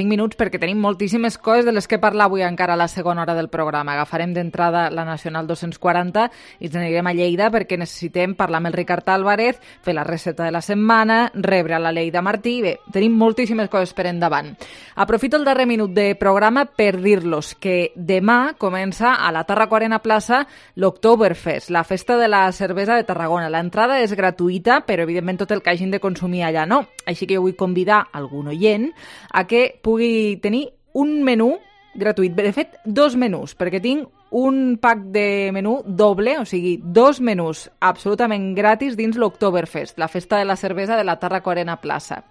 minuts, perquè tenim moltíssimes coses de les que parlar avui encara a la segona hora del programa. Agafarem d'entrada la Nacional 240 i ens anirem a Lleida perquè necessitem parlar amb el Ricard Álvarez, fer la recepta de la setmana, rebre a la Lleida Martí. Bé, tenim moltíssimes coses per endavant. Aprofito el darrer minut de programa per dir-los que demà comença a la Tarraco-Arena Plaça l'Oktoberfest, la festa de la cervesa de Tarragona. L'entrada és gratuïta, però evidentment tot el que hagin de consumir allà no. Així que jo vull convidar algun oient a que pugui tenir un menú gratuït. De fet, 2 menús, perquè tinc un pack de menú doble, o sigui, 2 menús absolutament gratis dins l'Oktoberfest, la festa de la cervesa de la Tàrraco Arena Plaça.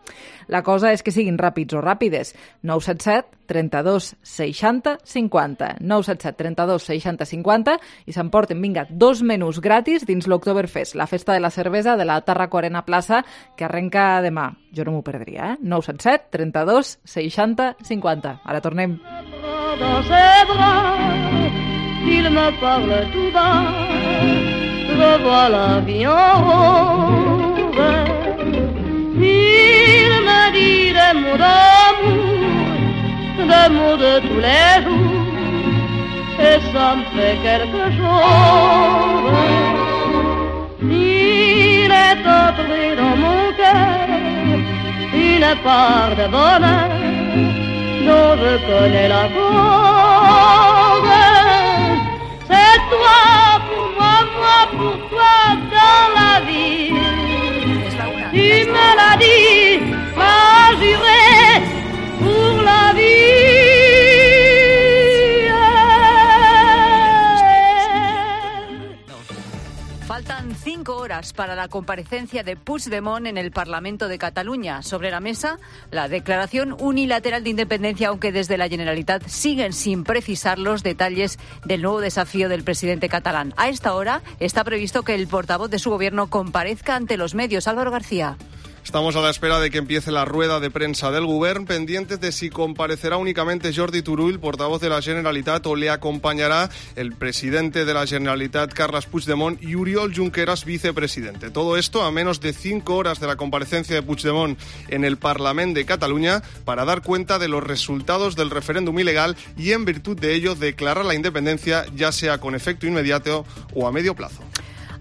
La cosa és que siguin ràpids o ràpides. 977 32 60 50. 977 32 60 50 i s'emporten, vinga, 2 menús gratis dins l'Oktoberfest, la festa de la cervesa de la Tàrraco Arena Plaça, que arrenca demà. Jo no m'ho perdria, 977 32 60 50. Ara tornem. Il me parle tout bas, revois la vie en rose. Il me dit des mots d'amour, des mots de tous les jours, et ça me fait quelque chose. Il est entré dans mon cœur une part de bonheur dont je connais la cause. C'est toi pour moi pour toi dans la vie. Tu me l'as dit, m'as juré pour la vie. Faltan 5 horas para la comparecencia de Puigdemont en el Parlamento de Cataluña. Sobre la mesa, la declaración unilateral de independencia, aunque desde la Generalitat siguen sin precisar los detalles del nuevo desafío del presidente catalán. A esta hora está previsto que el portavoz de su gobierno comparezca ante los medios. Álvaro García. Estamos a la espera de que empiece la rueda de prensa del Govern, pendientes de si comparecerá únicamente Jordi Turull, portavoz de la Generalitat, o le acompañará el presidente de la Generalitat, Carles Puigdemont, y Oriol Junqueras, vicepresidente. Todo esto a menos de 5 horas de la comparecencia de Puigdemont en el Parlament de Cataluña para dar cuenta de los resultados del referéndum ilegal y, en virtud de ello, declarar la independencia, ya sea con efecto inmediato o a medio plazo.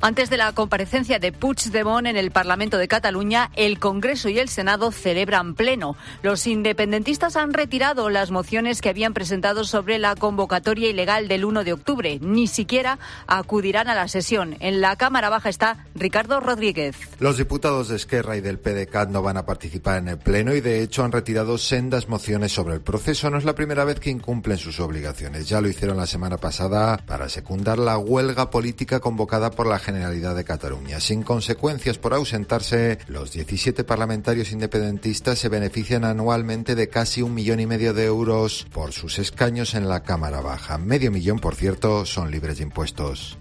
Antes de la comparecencia de Puigdemont en el Parlamento de Cataluña, el Congreso y el Senado celebran pleno. Los independentistas han retirado las mociones que habían presentado sobre la convocatoria ilegal del 1 de octubre. Ni siquiera acudirán a la sesión. En la Cámara Baja está Ricardo Rodríguez. Los diputados de Esquerra y del PDeCAT no van a participar en el pleno y, de hecho, han retirado sendas mociones sobre el proceso. No es la primera vez que incumplen sus obligaciones. Ya lo hicieron la semana pasada para secundar la huelga política convocada por la Generalidad de Cataluña. Sin consecuencias por ausentarse, los 17 parlamentarios independentistas se benefician anualmente de casi 1,5 millones de euros por sus escaños en la Cámara Baja. 500.000, por cierto, son libres de impuestos.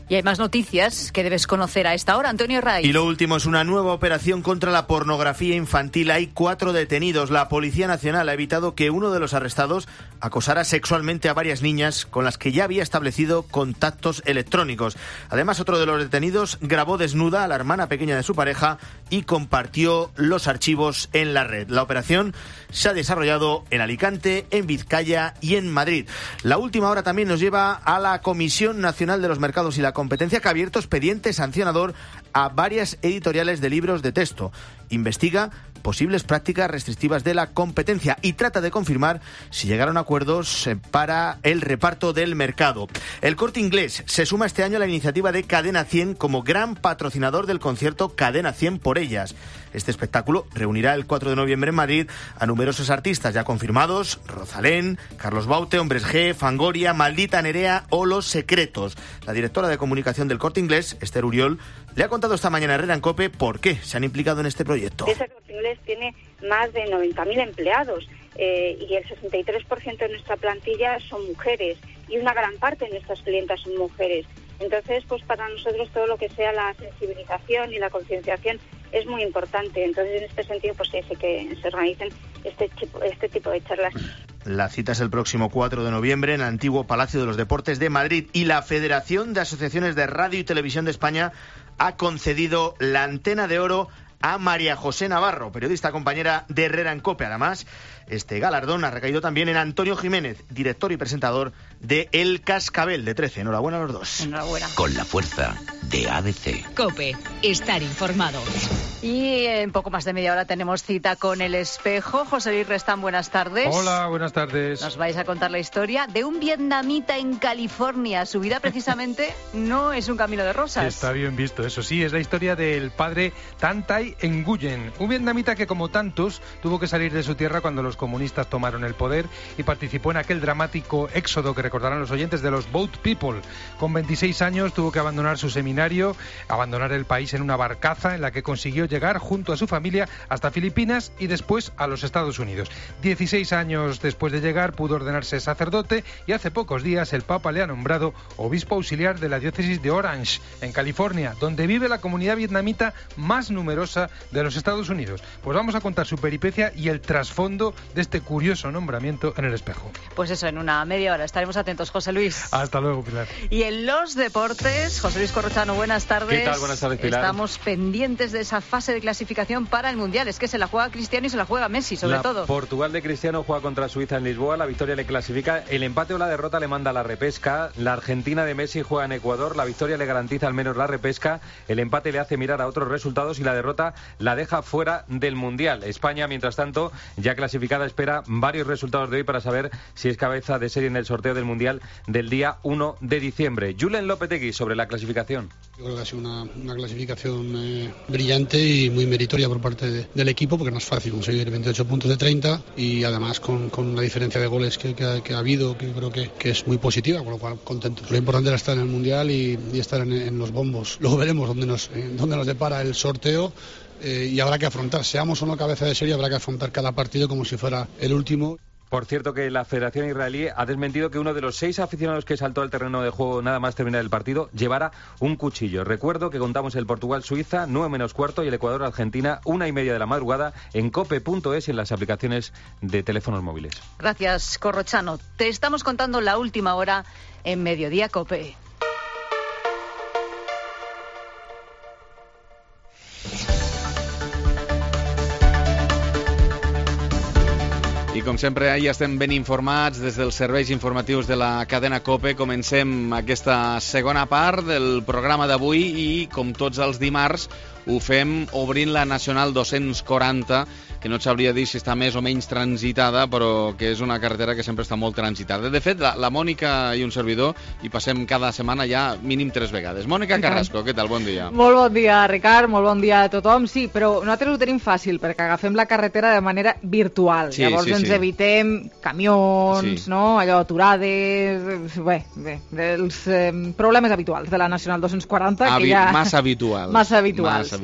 Y hay más noticias que debes conocer a esta hora, Antonio Raiz. Y lo último es una nueva operación contra la pornografía infantil. Hay 4 detenidos. La Policía Nacional ha evitado que uno de los arrestados acosara sexualmente a varias niñas con las que ya había establecido contactos electrónicos. Además, otro de los detenidos grabó desnuda a la hermana pequeña de su pareja y compartió los archivos en la red. La operación se ha desarrollado en Alicante, en Vizcaya y en Madrid. La última hora también nos lleva a la Comisión Nacional de los Mercados y la Competencia, que ha abierto expediente sancionador a varias editoriales de libros de texto. Investiga posibles prácticas restrictivas de la competencia y trata de confirmar si llegaron a acuerdos para el reparto del mercado. El Corte Inglés se suma este año a la iniciativa de Cadena 100 como gran patrocinador del concierto Cadena 100 por ellas. Este espectáculo reunirá el 4 de noviembre en Madrid a numerosos artistas ya confirmados: Rosalén, Carlos Baute, Hombres G, Fangoria, Maldita Nerea o Los Secretos. La directora de comunicación del Corte Inglés, Esther Uriol, le ha contado esta mañana a Herrera en COPE por qué se han implicado en este proyecto. Ese Corte Inglés tiene más de 90.000 empleados y el 63% de nuestra plantilla son mujeres y una gran parte de nuestras clientas son mujeres. Entonces, pues para nosotros todo lo que sea la sensibilización y la concienciación es muy importante. Entonces, en este sentido, pues sí, que se organicen este tipo de charlas. La cita es el próximo 4 de noviembre en el antiguo Palacio de los Deportes de Madrid, y la Federación de Asociaciones de Radio y Televisión de España ha concedido la Antena de Oro a María José Navarro, periodista compañera de Herrera en COPE. Además, este galardón ha recaído también en Antonio Jiménez, director y presentador de El Cascabel de 13. Enhorabuena a los dos. Enhorabuena. Con la fuerza de ABC. COPE, estar informado. Y en poco más de media hora tenemos cita con El Espejo. José Luis Restán, buenas tardes. Hola, buenas tardes. Nos vais a contar la historia de un vietnamita en California. Su vida precisamente no es un camino de rosas. Está bien visto, eso sí, es la historia del padre Tan Tai Nguyen, un vietnamita que, como tantos, tuvo que salir de su tierra cuando los comunistas tomaron el poder y participó en aquel dramático éxodo que recordarán los oyentes de los Boat People. Con 26 años tuvo que abandonar su seminario, abandonar el país en una barcaza en la que consiguió llegar junto a su familia hasta Filipinas y después a los Estados Unidos. 16 años después de llegar pudo ordenarse sacerdote y hace pocos días el Papa le ha nombrado obispo auxiliar de la diócesis de Orange, en California, donde vive la comunidad vietnamita más numerosa de los Estados Unidos. Pues vamos a contar su peripecia y el trasfondo de este curioso nombramiento en El Espejo. Pues eso, en una media hora estaremos atentos, José Luis. Hasta luego, Pilar. Y en los deportes, José Luis Corrochano, buenas tardes. ¿Qué tal? Buenas tardes, Pilar. Estamos pendientes de esa fase de clasificación para el Mundial. Es que se la juega Cristiano y se la juega Messi, sobre todo. Portugal de Cristiano juega contra Suiza en Lisboa. La victoria le clasifica. El empate o la derrota le manda a la repesca. La Argentina de Messi juega en Ecuador. La victoria le garantiza al menos la repesca. El empate le hace mirar a otros resultados y la derrota la deja fuera del Mundial. España, mientras tanto, ya clasificada, espera varios resultados de hoy para saber si es cabeza de serie en el sorteo del Mundial del día 1 de diciembre. Julen Lopetegui sobre la clasificación. Yo creo que ha sido una clasificación brillante y muy meritoria por parte del equipo, porque no es fácil conseguir 28 puntos de 30 y además con la diferencia de goles que ha habido, que creo que es muy positiva, con lo cual contentos. Lo importante era estar en el Mundial y estar en los bombos. Luego veremos dónde nos depara el sorteo. Y habrá que afrontar, seamos o no cabeza de serie, habrá que afrontar cada partido como si fuera el último. Por cierto, que la Federación Israelí ha desmentido que uno de los 6 aficionados que saltó al terreno de juego nada más terminar el partido llevara un cuchillo. Recuerdo que contamos el Portugal-Suiza, 9:15, y el Ecuador-Argentina, 1:30 de la madrugada, en cope.es y en las aplicaciones de teléfonos móviles. Gracias, Corrochano. Te estamos contando la última hora en Mediodía Cope. I com sempre ja estem ben informats des dels serveis informatius de la cadena COPE. Comencem aquesta segona part del programa d'avui i, com tots els dimarts, ho fem obrint la Nacional 240, que no et sabria dir si està més o menys transitada, però que és una carretera que sempre està molt transitada. De fet, la Mònica i un servidor hi passem cada setmana ja mínim 3 vegades. Mònica Carrasco, què tal? Bon dia. Molt bon dia, Ricard, molt bon dia a tothom. Sí, però nosaltres ho tenim fàcil, perquè agafem la carretera de manera virtual. Sí, llavors ens evitem camions, no? Allò, aturades... Bé, els problemes habituals de la Nacional 240, que ja... Massa habituals. Massa habituals.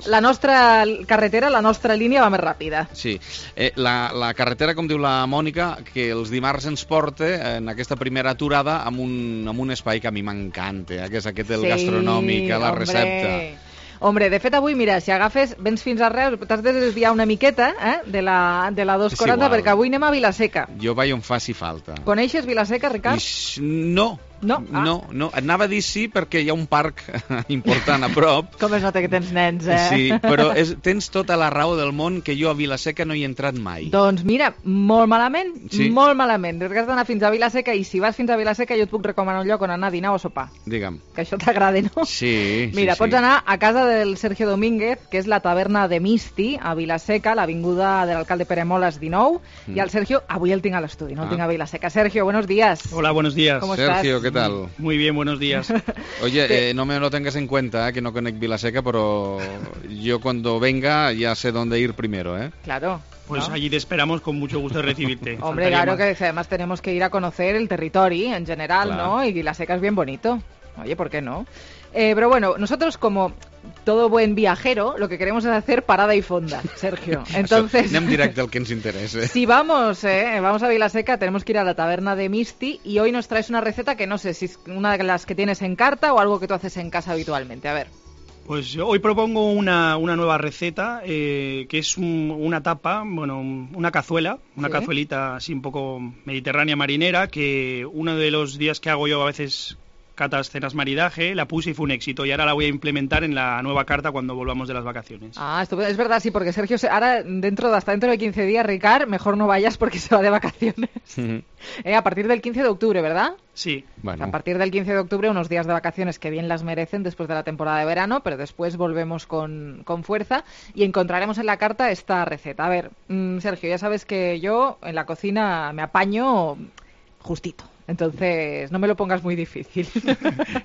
La nostra carretera, la nostra línia va més ràpida. Sí. La carretera, com diu la Mònica, que els dimarts ens porta en aquesta primera aturada amb un espai que a mi m'encanta, que és aquest el gastronòmic, la recepta. Hombre, de fet avui, mira, si agafes, vens fins a Reus, t'has de desviar una miqueta de la 240, perquè avui anem a Vilaseca. Jo vaig on faci falta. Coneixes Vilaseca, Ricard? No. No, anava a dir sí perquè hi ha un parc important a prop. Com es nota que tens nens, eh? Sí, però tens tota la raó del món que jo a Vilaseca no hi he entrat mai. Doncs mira, molt malament, molt malament. Has d'anar fins a Vilaseca i si vas fins a Vilaseca jo et puc recomanar un lloc on anar a dinar o a sopar. Digue'm. Que això t'agrada, no? Sí. Mira, pots anar a casa del Sergio Domínguez, que és la taverna de Misti, a Vilaseca, l'avinguda de l'alcalde Pere Moles 19, i el Sergio, avui el tinc a l'estudi, no el tinc a Vilaseca. Sergio, buenos días. Hola, buenos días. ¿Cómo Sergio, estás? ¿qué tal? Muy bien, buenos días. Oye, no me lo tengas en cuenta, que no conec Vilaseca, pero yo cuando venga ya sé dónde ir primero, ¿eh? Claro. Pues allí te esperamos con mucho gusto de recibirte. Hombre, claro que además tenemos que ir a conocer el territorio en general, claro. ¿No? Y Vilaseca es bien bonito. Oye, ¿por qué no? Pero bueno, nosotros como todo buen viajero, lo que queremos es hacer parada y fonda, Sergio. Entonces, anem directe al que ens interesa. Si vamos a Vilaseca, tenemos que ir a la taberna de Misti y hoy nos traes una receta que no sé si es una de las que tienes en carta o algo que tú haces en casa habitualmente. A ver. Pues hoy propongo una nueva receta que es una tapa, bueno, una cazuela, una cazuelita así un poco mediterránea marinera, que uno de los días que hago yo a veces catas, cenas, maridaje, la puse y fue un éxito. Y ahora la voy a implementar en la nueva carta cuando volvamos de las vacaciones. Estupendo. Es verdad, sí, porque Sergio, ahora hasta dentro de 15 días, Ricard, mejor no vayas porque se va de vacaciones. A partir del 15 de octubre, ¿verdad? Sí. Bueno. A partir del 15 de octubre, unos días de vacaciones que bien las merecen después de la temporada de verano, pero después volvemos con fuerza y encontraremos en la carta esta receta. A ver, Sergio, ya sabes que yo en la cocina me apaño justito. Entonces, no me lo pongas muy difícil.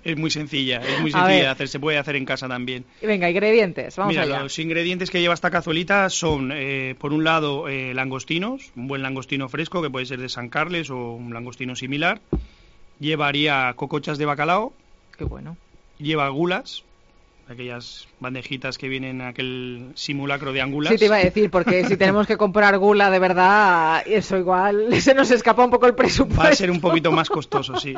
Es muy sencilla de hacer, se puede hacer en casa también. Venga, ingredientes, vamos allá. Los ingredientes que lleva esta cazuelita son, por un lado, langostinos, un buen langostino fresco, que puede ser de San Carles o un langostino similar. Llevaría cocochas de bacalao. Qué bueno. Lleva gulas, aquellas bandejitas que vienen en aquel simulacro de angulas. Sí, te iba a decir, porque si tenemos que comprar gula de verdad, eso igual se nos escapa un poco el presupuesto. Va a ser un poquito más costoso, sí.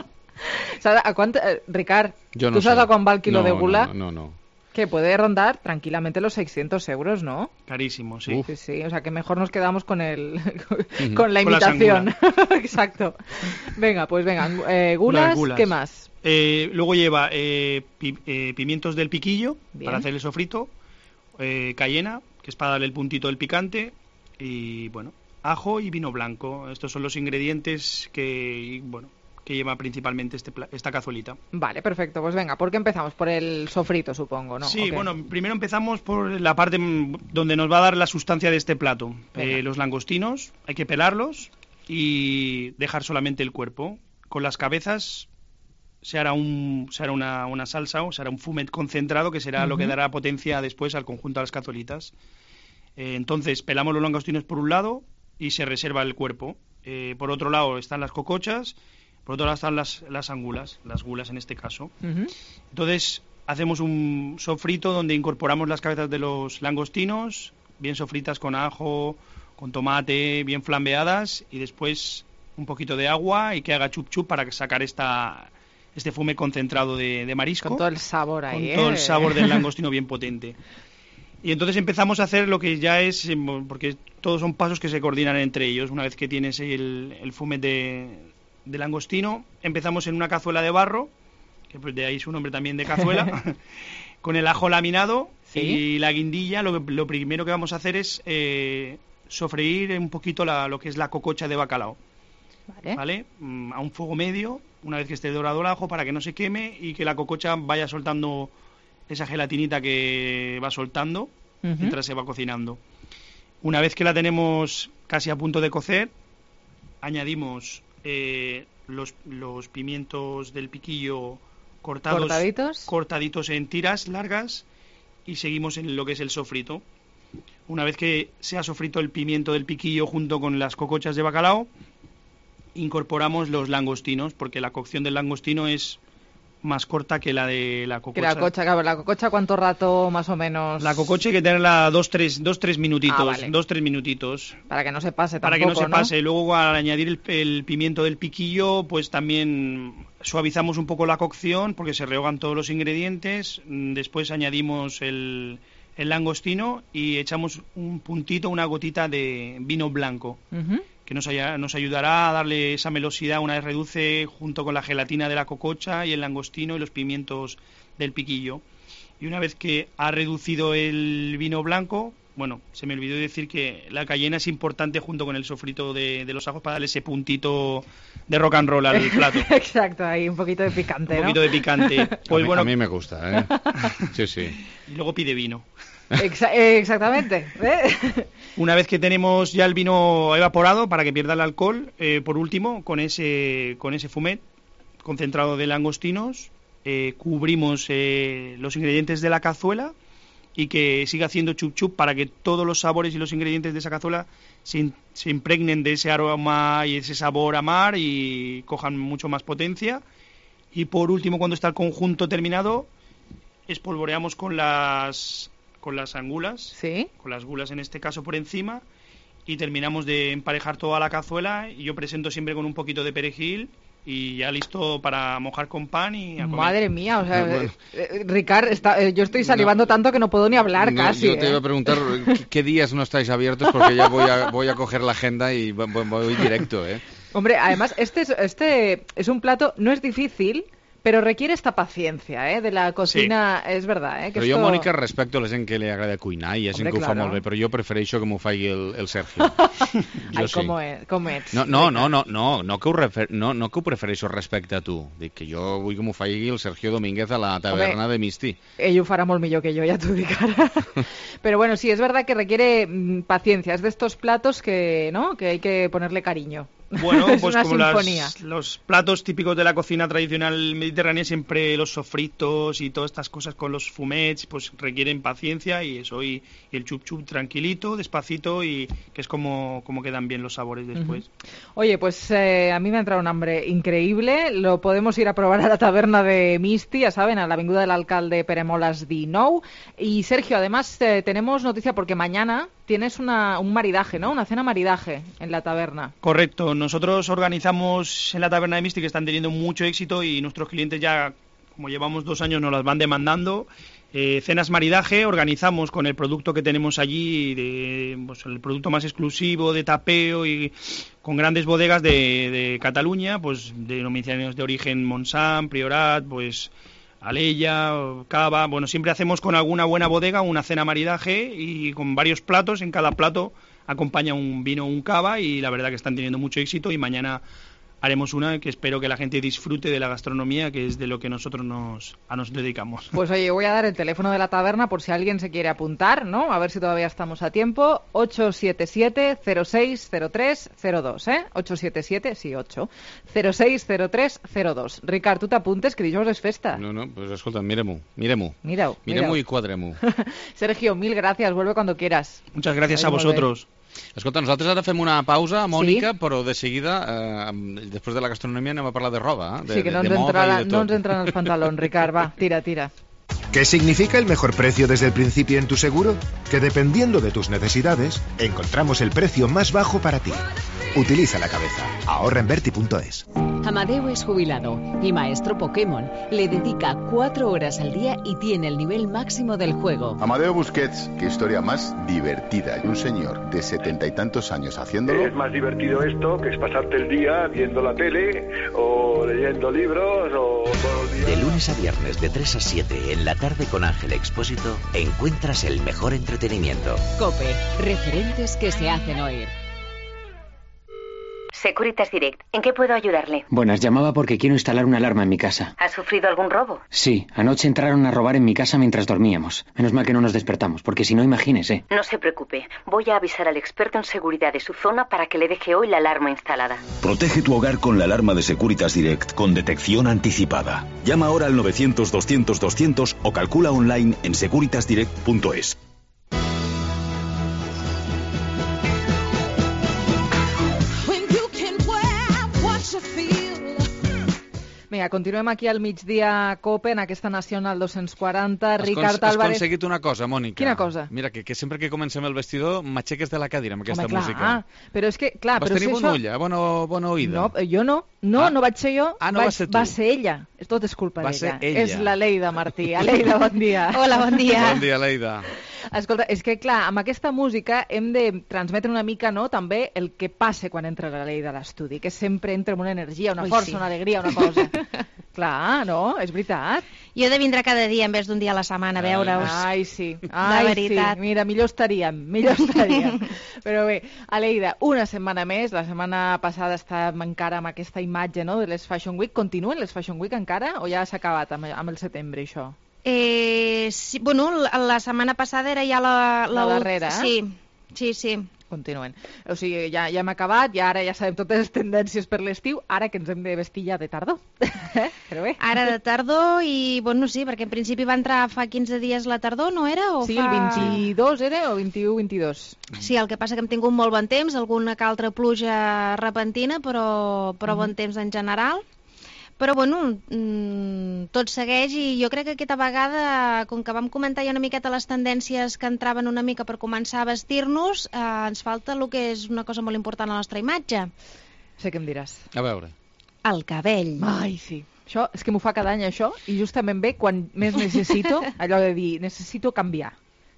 ¿A cuánto, Ricard, yo no tú sabes sé. a cuán va el kilo de gula? No. Que puede rondar tranquilamente los 600 euros, ¿no? Carísimo, sí. Sí, o sea que mejor nos quedamos con con la imitación. Exacto. Venga, pues gulas, ¿qué más? Luego lleva pimientos del piquillo. Bien. Para hacer el sofrito, cayena, que es para darle el puntito del picante, y bueno, ajo y vino blanco. Estos son los ingredientes que lleva principalmente esta cazuelita. Vale, perfecto. Pues venga, ¿por qué empezamos? Por el sofrito, supongo, ¿no? Sí, okay. Bueno, primero empezamos por la parte donde nos va a dar la sustancia de este plato. Los langostinos, hay que pelarlos y dejar solamente el cuerpo. Con las cabezas se hará una salsa o se hará un fumet concentrado que será lo que dará potencia después al conjunto de las cazuelitas. Entonces, pelamos los langostinos por un lado y se reserva el cuerpo. Por otro lado están las cocochas. Por otro lado están las angulas, las gulas en este caso. Entonces hacemos un sofrito donde incorporamos las cabezas de los langostinos, bien sofritas con ajo, con tomate, bien flambeadas, y después un poquito de agua y que haga chup chup para sacar este fume concentrado de marisco. Con todo el sabor ahí. Con todo el sabor del langostino bien potente. Y entonces empezamos a hacer lo que ya es, porque todos son pasos que se coordinan entre ellos. Una vez que tienes el fume de langostino, empezamos en una cazuela de barro, que pues de ahí su nombre también de cazuela, con el ajo laminado. ¿Sí? Y la guindilla. Lo primero que vamos a hacer es sofreír un poquito lo que es la cococha de bacalao. ¿Vale? A un fuego medio, una vez que esté dorado el ajo, para que no se queme y que la cococha vaya soltando esa gelatinita que va soltando mientras se va cocinando. Una vez que la tenemos casi a punto de cocer, añadimos los pimientos del piquillo cortaditos en tiras largas, y seguimos en lo que es el sofrito. Una vez que se ha sofrito el pimiento del piquillo junto con las cocochas de bacalao, incorporamos los langostinos, porque la cocción del langostino es más corta que la de la cococha. La cococha, ¿cuánto rato más o menos? La cococha hay que tenerla 2-3 minutitos. Vale. 2-3 minutitos. Para que no se pase tampoco, para que no se pase. Luego, al añadir el pimiento del piquillo, pues también suavizamos un poco la cocción, porque se rehogan todos los ingredientes. Después añadimos el langostino y echamos un puntito, una gotita de vino blanco. Que nos ayudará a darle esa melosidad una vez reduce, junto con la gelatina de la cococha y el langostino y los pimientos del piquillo. Y una vez que ha reducido el vino blanco, bueno, se me olvidó decir que la cayena es importante junto con el sofrito de los ajos para darle ese puntito de rock and roll al plato. Exacto, ahí un poquito de picante, Un poquito de picante. Pues a mí me gusta, ¿eh? Sí. Y luego pide vino. Exactamente. Una vez que tenemos ya el vino evaporado para que pierda el alcohol, por último, con ese fumet concentrado de langostinos, cubrimos los ingredientes de la cazuela y que siga haciendo chup chup para que todos los sabores y los ingredientes de esa cazuela se impregnen de ese aroma y ese sabor a mar y cojan mucho más potencia. Y por último, cuando está el conjunto terminado, espolvoreamos con las angulas, ¿sí? Con las gulas en este caso por encima, y terminamos de emparejar toda la cazuela, y yo presento siempre con un poquito de perejil y ya listo para mojar con pan y a comer. Madre mía, o sea, Ricard, yo estoy salivando tanto que no puedo ni hablar casi. Yo te iba a preguntar qué días no estáis abiertos, porque ya voy a coger la agenda y voy directo, ¿eh? Hombre, además, este es un plato, no es difícil, Pero requiere esta paciencia, de la cocina, sí. És verdad, que però esto... jo, Mònica, respecto a la gent que li agrada cuinar i hi ha gent que ho fa molt bé, però jo prefereixo que m'ho faci el Sergio. Ai, sí. Com ets? No que ho prefereixo respecte a tu. Dic que jo vull que m'ho faci el Sergio Domínguez a la taverna de Misti. Ell ho farà molt millor que jo, ja t'ho dic ara. Pero bueno, sí, es verdad que requiere paciencia. Es de estos platos que, ¿no?, que hay que ponerle cariño. Bueno, pues una como los platos típicos de la cocina tradicional mediterránea, siempre los sofritos y todas estas cosas con los fumets, pues requieren paciencia y eso, y el chup chup tranquilito, despacito, y que es como quedan bien los sabores después. Oye, pues a mí me ha entrado un hambre increíble, lo podemos ir a probar a la taberna de Misti, ya saben, a la avinguda del Alcalde Pere Molas 19. Y Sergio, además tenemos noticia porque mañana tienes un maridaje, ¿no? Una cena maridaje en la taberna. Correcto. Nosotros organizamos en la taberna de Misti, que están teniendo mucho éxito y nuestros clientes ya, como llevamos 2 años, nos las van demandando. Cenas maridaje, organizamos con el producto que tenemos allí, pues el producto más exclusivo de tapeo y con grandes bodegas de Cataluña, pues denominaciones de origen Montsant, Priorat, pues Alella, Cava. Bueno, siempre hacemos con alguna buena bodega una cena maridaje y con varios platos. En cada plato acompaña un vino o un cava y la verdad que están teniendo mucho éxito, y mañana haremos una que espero que la gente disfrute de la gastronomía, que es de lo que nosotros nos dedicamos. Pues oye, voy a dar el teléfono de la taberna por si alguien se quiere apuntar, ¿no? A ver si todavía estamos a tiempo. 877-060302, 877, sí, 8. 060302. Ricard, tu t'apuntes, que dijous és festa. No, pues escolta, mira-m'ho. Mirem-ho i quadrem-ho. Sergio, mil gracias, vuelve cuando quieras. Muchas gracias a vosotros. Escolta, nosaltres ara fem una pausa, Mònica, sí? Però de seguida, després de la gastronomia, anem a parlar de roba, sí, que no ens entran els pantalons, Ricard, va, tira. ¿Qué significa el mejor precio desde el principio en tu seguro? Que dependiendo de tus necesidades, encontramos el precio más bajo para ti. Utiliza la cabeza. Ahorra en Berti.es. Amadeo es jubilado y maestro Pokémon. Le dedica 4 horas al día y tiene el nivel máximo del juego. Amadeo Busquets, qué historia más divertida. Y un señor de 70 y tantos años haciéndolo. Es más divertido esto que es pasarte el día viendo la tele o leyendo libros o todo el día. De lunes a viernes de 3 a 7 en la tarde con Ángel Expósito encuentras el mejor entretenimiento. COPE, referentes que se hacen oír. Securitas Direct, ¿en qué puedo ayudarle? Buenas, llamaba porque quiero instalar una alarma en mi casa. ¿Ha sufrido algún robo? Sí, anoche entraron a robar en mi casa mientras dormíamos. Menos mal que no nos despertamos, porque si no, imagínese. No se preocupe, voy a avisar al experto en seguridad de su zona para que le deje hoy la alarma instalada. Protege tu hogar con la alarma de Securitas Direct con detección anticipada. Llama ahora al 900-200-200 o calcula online en securitasdirect.es. Vinga, continuem aquí al migdia COPE, en aquesta Nacional 240. Ricard Álvarez... Has aconseguit una cosa, Mònica. Quina cosa? Mira, que sempre que comencem el vestidor m'aixeques de la cadira amb aquesta música. Però és que, clar... Vas tenir bona ulla, bona oïda. No, jo no. No vaig ser jo. No vas ser tu. Va ser ella. Tot és culpa d'ella. Va ser ella. És la Leida Martí. Leida, bon dia. Hola, bon dia. Bon dia, Leida. Escolta, és que, clar, amb aquesta música hem de transmetre una mica, no?, també el que passa quan entra la Leida a l'estudi, que sempre entra amb una energia, una força, una alegria, una cosa. Clar, no? És veritat. Jo he de vindre cada dia en vez d'un dia a la setmana a veure-us. Ai, sí. De veritat. Sí. Mira, millor estaríem. Però bé, Aleida, una setmana més. La setmana passada estàvem encara amb aquesta imatge, no?, de les Fashion Week. Continuen les Fashion Week encara o ja s'ha acabat amb el setembre, això? Sí, bueno, la setmana passada era ja la darrera, eh? Sí. Continuen. O sigui, ja hem acabat i ara ja sabem totes les tendències per l'estiu, ara que ens hem de vestir ja de tardor. Però bé. Ara de tardor i, bueno, sí, perquè en principi va entrar fa 15 dies la tardor, no era? Sí, el 22 era o 21-22? Sí, el que passa que hem tingut molt bon temps, alguna que altra pluja repentina, però bon temps en general. Però, bueno, tot segueix i jo crec que aquesta vegada, com que vam comentar ja una miqueta les tendències que entraven una mica per començar a vestir-nos, ens falta el que és una cosa molt important a la nostra imatge. Sé què em diràs. A veure. El cabell. Ai, sí. Això és que m'ho fa cada any, això, i justament bé quan més necessito, allò de dir, necessito canviar.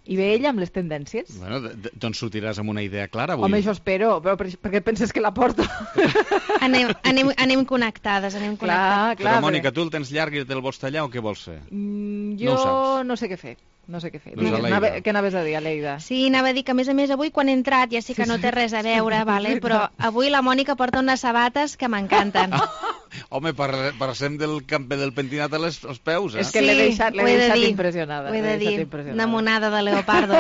I ve ella amb les tendències. Bueno, doncs sortiràs amb una idea clara avui. Home, això espero, però per què penses que la porto? Anem connectades, Clar, però, Mònica, tu el tens llarg i te'l vols tallar o què vols fer? Jo no sé què fer. Doncs què anaves a dir, Aleida? Sí, anava a dir que, a més, avui quan he entrat, ja sé que no té res a veure, vale? Però avui la Mònica porta unes sabates que m'encanten. Home, passem del camper del pentinat als peus, eh? És que l'he deixat impressionada. Ho he de dir, una monada de leopardo.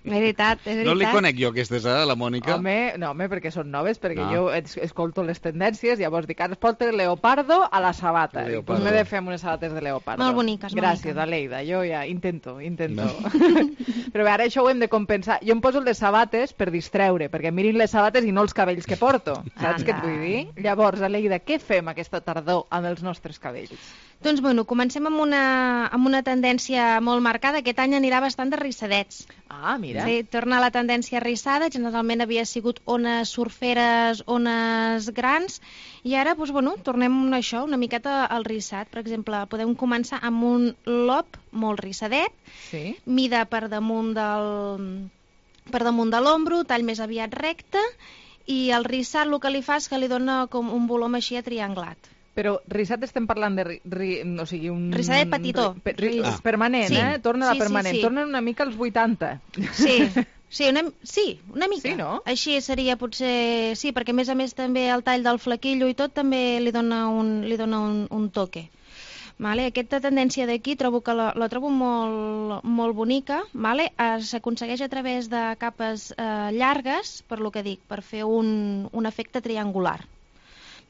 Veritat. No li conec jo aquestes, la Mònica? Home, perquè són noves, perquè jo escolto les tendències, llavors dic, ara es porta el leopardo a la sabata. Doncs m'he de fer amb unes sabates de leopardo. Molt boniques, Gràcies, Aleida, jo ja intento. Però bé, ara això ho hem de compensar. Jo em poso les sabates per distreure, perquè mirin les sabates i no els cabells que porto. Saps què et vull dir? Llavors, Aleida, què fem aquesta tardor amb els nostres cabells? Doncs, comencem amb una tendència molt marcada. Aquest any anirà bastant de rissadets. Ah, mira. Sí, torna la tendència rissada. Generalment havia sigut ones surferes, ones grans, i ara, tornem a això, una miqueta al rissat. Per exemple, podem començar amb un lob molt rissadet, mida per damunt de l'ombro, tall més aviat recte, i el rissat el que li fa és que li dona com un volum així atrianglat. Però rissat estem parlant de... Rissadet petitó. Permanent, Torna la permanent. Torna una mica als 80. Sí, una mica. Sí, no? Així seria potser... Sí, perquè a més també el tall del flequillo i tot també li dona un toque. Vale? Aquesta tendència d'aquí trobo que la trobo molt bonica. Vale? S'aconsegueix a través de capes llargues, per lo que dic, per fer un efecte triangular.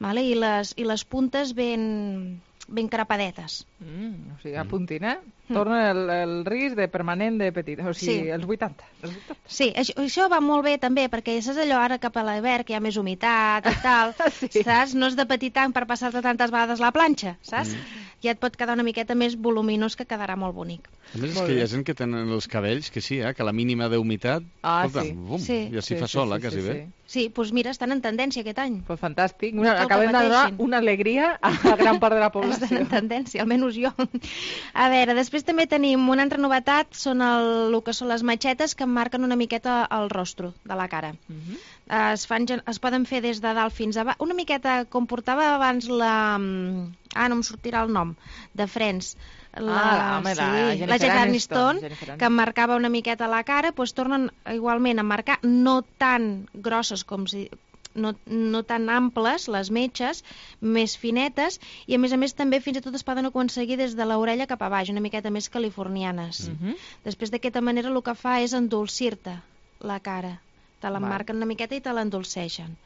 Vale? I les puntes ben carapadetes. O sigui, a puntina. Torna el risc de permanent de petit. O sigui, els 80. Sí, això va molt bé també, perquè saps allò ara cap a l'hivern, que hi ha més humitat i tal, saps? No és de petit tant per passar-te tantes vegades la planxa, saps? Ja et pot quedar una miqueta més voluminós, que quedarà molt bonic. A més, és que hi ha gent que tenen els cabells, que sí, que la mínima d'humitat, ja s'hi fa sola, quasi bé. Sí, doncs mira, estan en tendència aquest any. Pues fantàstic. Acabem de donar una alegria a gran part de la població. Estan en tendència, almenys jo. A veure, després també tenim una altra novetat, són el que són les matxetes que marquen una miqueta el rostre de la cara. Es poden fer des de dalt fins a baix, una miqueta com portava abans la... no em sortirà el nom, de Friends. La Jennifer Aniston, que marcava una miqueta la cara, doncs tornen igualment a marcar no tan grosses com si... No tan amples, les metges, més finetes, i a més també fins i tot es poden aconseguir des de l'orella cap a baix, una miqueta més californianes. Després d'aquesta manera el que fa és endolcir-te la cara. Te l'emmarquen una miqueta i te l'endolceixen.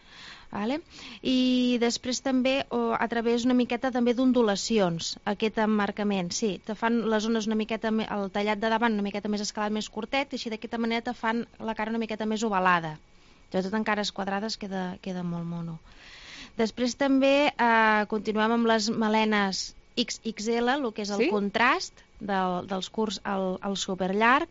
Vale? I després també a través una miqueta també d'ondulacions, aquest emmarcament, sí, te fan les zones una miqueta, el tallat de davant una miqueta més escalat, més curtet, i així d'aquesta manera te fan la cara una miqueta més ovalada. Tot en cares quadrades queda molt mono. Després també continuem amb les melenes XXL, el que és el contrast dels curts al superllarg.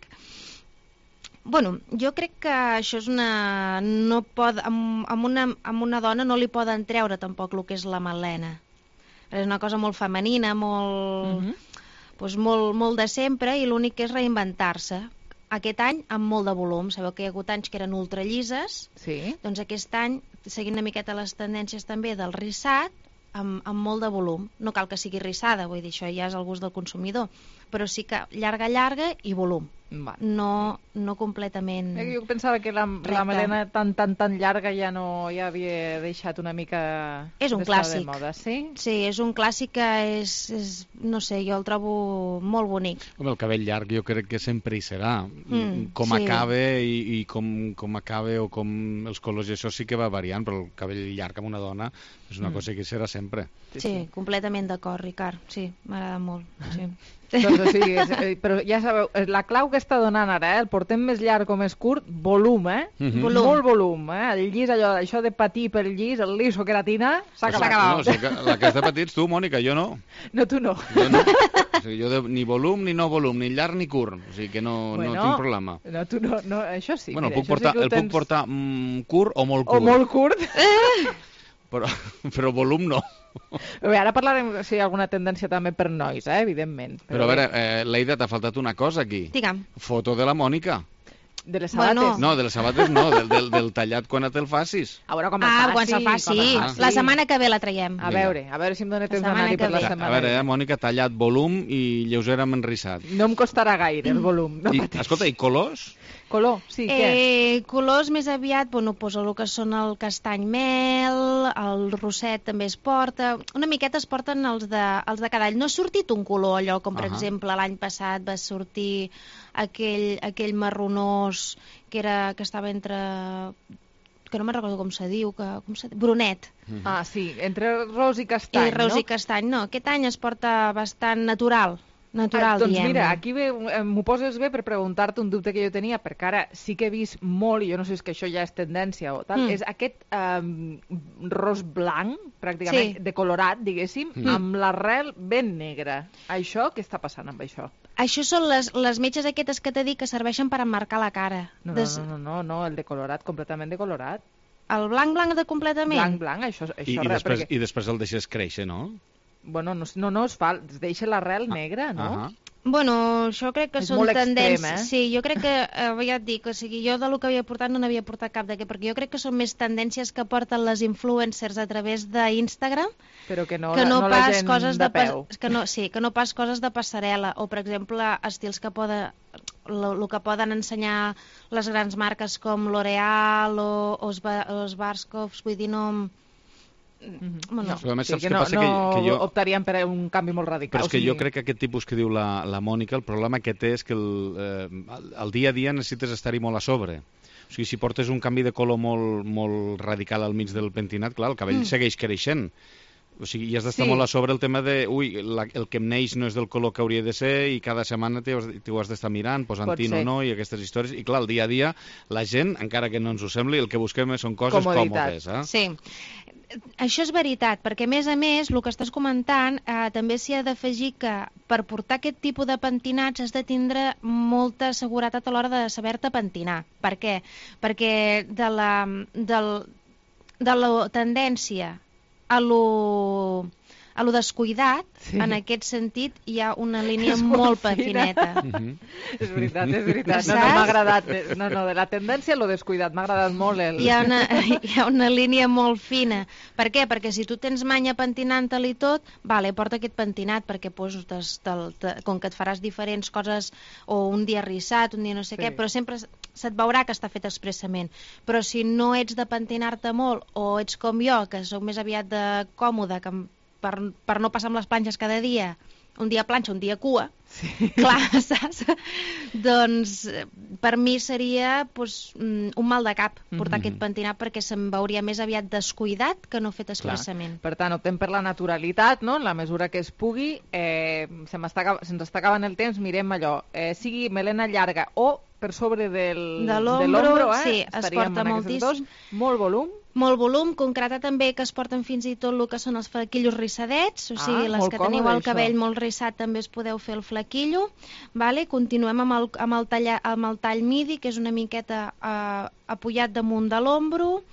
Jo crec que això és una... Amb una dona no li poden treure tampoc el que és la melena. És una cosa molt femenina, molt de sempre, i l'únic que és reinventar-se. Aquest any amb molt de volum. Sabeu que hi ha hagut anys que eren ultrallises, doncs aquest any, seguint una miqueta les tendències també del rissat, amb molt de volum. No cal que sigui rissada, vull dir, això ja és el gust del consumidor, però sí que llarga i volum. No completament... Jo pensava que la melena tan llarga ja havia deixat una mica... És un clàssic. De moda, sí? Sí, és un clàssic que és... No sé, jo el trobo molt bonic. El cabell llarg jo crec que sempre hi serà. Com acabe i com acabe o com els colors, i això sí que va variant, però el cabell llarg amb una dona és una cosa que serà sempre. Sí, completament d'acord, Ricard. Sí, m'agrada molt. Sí. Doncs, però ja sabeu, la clau que està donant ara, el portem més llarg o més curt, volum, molt volum, el llis, això de patir pel llis, el liso queratina, s'ha acabat. La que has de patir ets tu, Mònica, jo no. No, tu no. Jo ni volum, ni no volum, ni llarg ni curt, o sigui que no tinc problema. No, tu no, això sí. Bueno, el puc portar curt o molt curt. O molt curt. però volum no. Bé, ara parlarem si hi ha alguna tendència també per nois, evidentment. Però a veure, Leida, t'ha faltat una cosa aquí. Digue'm. Foto de la Mònica. De les sabates? No, de les sabates no, del tallat quan te'l facis. A veure com quan se'l faci. La setmana que ve la traiem. A veure si em dona temps d'anar-hi per la setmana. A veure, Mònica, tallat volum i lleugera enrissat. No em costarà gaire el volum. Escolta, i colors? Color, sí, què? Colors més aviat, posa el que són el castany mel, el rosset també es porta, una miqueta es porten els de cada any. No ha sortit un color allò, com per exemple l'any passat va sortir aquell marronós que estava entre... que no me'n recordo com se diu, brunet. Ah, sí, entre ros i castany, no? Ros i castany, no. Aquest any es porta bastant natural, doncs diem. Mira, aquí m'ho poses bé per preguntar-te un dubte que jo tenia, perquè ara sí que he vist molt, i jo no sé si és que això ja és tendència o tal, és aquest ros blanc, pràcticament, decolorat, diguéssim, amb l'arrel ben negra. Això, què està passant amb això? Això són les metges aquestes que t'he dit que serveixen per emmarcar la cara. No, el decolorat, completament decolorat. El blanc de completament? Blanc, això I després el deixes créixer, no? Bueno, no es fa, es deixa l'arrel negra, no? Bueno, això crec que són tendències. Extrem, Sí, jo crec que, ja et dic, o sigui, jo del que havia portat no n'havia portat cap d'aquest, perquè jo crec que són més tendències que porten les influencers a través d'Instagram, però que no la gent de peu. Que no pas coses de passarel·la, o per exemple, estils que poden... el que poden ensenyar les grans marques com L'Oreal o Schwarzkopf, vull dir, no... No optaríem per un canvi molt radical. Però és que jo crec que aquest tipus que diu la Mònica, el problema que té és que el dia a dia necessites estar-hi molt a sobre. O sigui, si portes un canvi de color molt radical al mig del pentinat, clar, el cabell segueix creixent. O sigui, i has d'estar molt a sobre el tema de el que em neix no és del color que hauria de ser i cada setmana t'ho has d'estar mirant, posant tint o no i aquestes històries. I clar, el dia a dia, la gent, encara que no ens ho sembli, el que busquem són coses còmodes. Sí. Això és veritat, perquè a més, el que estàs comentant, també s'hi ha d'afegir que per portar aquest tipus de pentinats has de tindre molta seguretat a l'hora de saber-te pentinar. Per què? Perquè de la tendència a lo descuidat, en aquest sentit, hi ha una línia molt fineta. És veritat. No, m'ha agradat. No, de la tendència a lo descuidat, m'ha agradat molt. Hi ha una línia molt fina. Per què? Perquè si tu tens manya pentinant-te-li tot, porta aquest pentinat, perquè com que et faràs diferents coses, o un dia rissat, un dia no sé què, però sempre se't veurà que està fet expressament. Però si no ets de pentinar-te molt, o ets com jo, que sóc més aviat de còmode, que per no passar amb les planxes cada dia, un dia planxa, un dia cua, clar, saps? Doncs per mi seria un mal de cap portar aquest pentinat, perquè se'm veuria més aviat descuidat que no fet expressament. Per tant, optem per la naturalitat, no? En la mesura que es pugui. Se'ns està acabant el temps, mirem allò, sigui melena llarga o per sobre de l'ombro, sí, es porta moltíssim. Molt volum. Molt volum, concreta també que es porten fins i tot el que són els flequillos rissadets, o sigui, les que teniu el cabell molt rissat també es podeu fer el flequillo. Continuem amb el tall midi, que és una miqueta apujat damunt de l'ombro,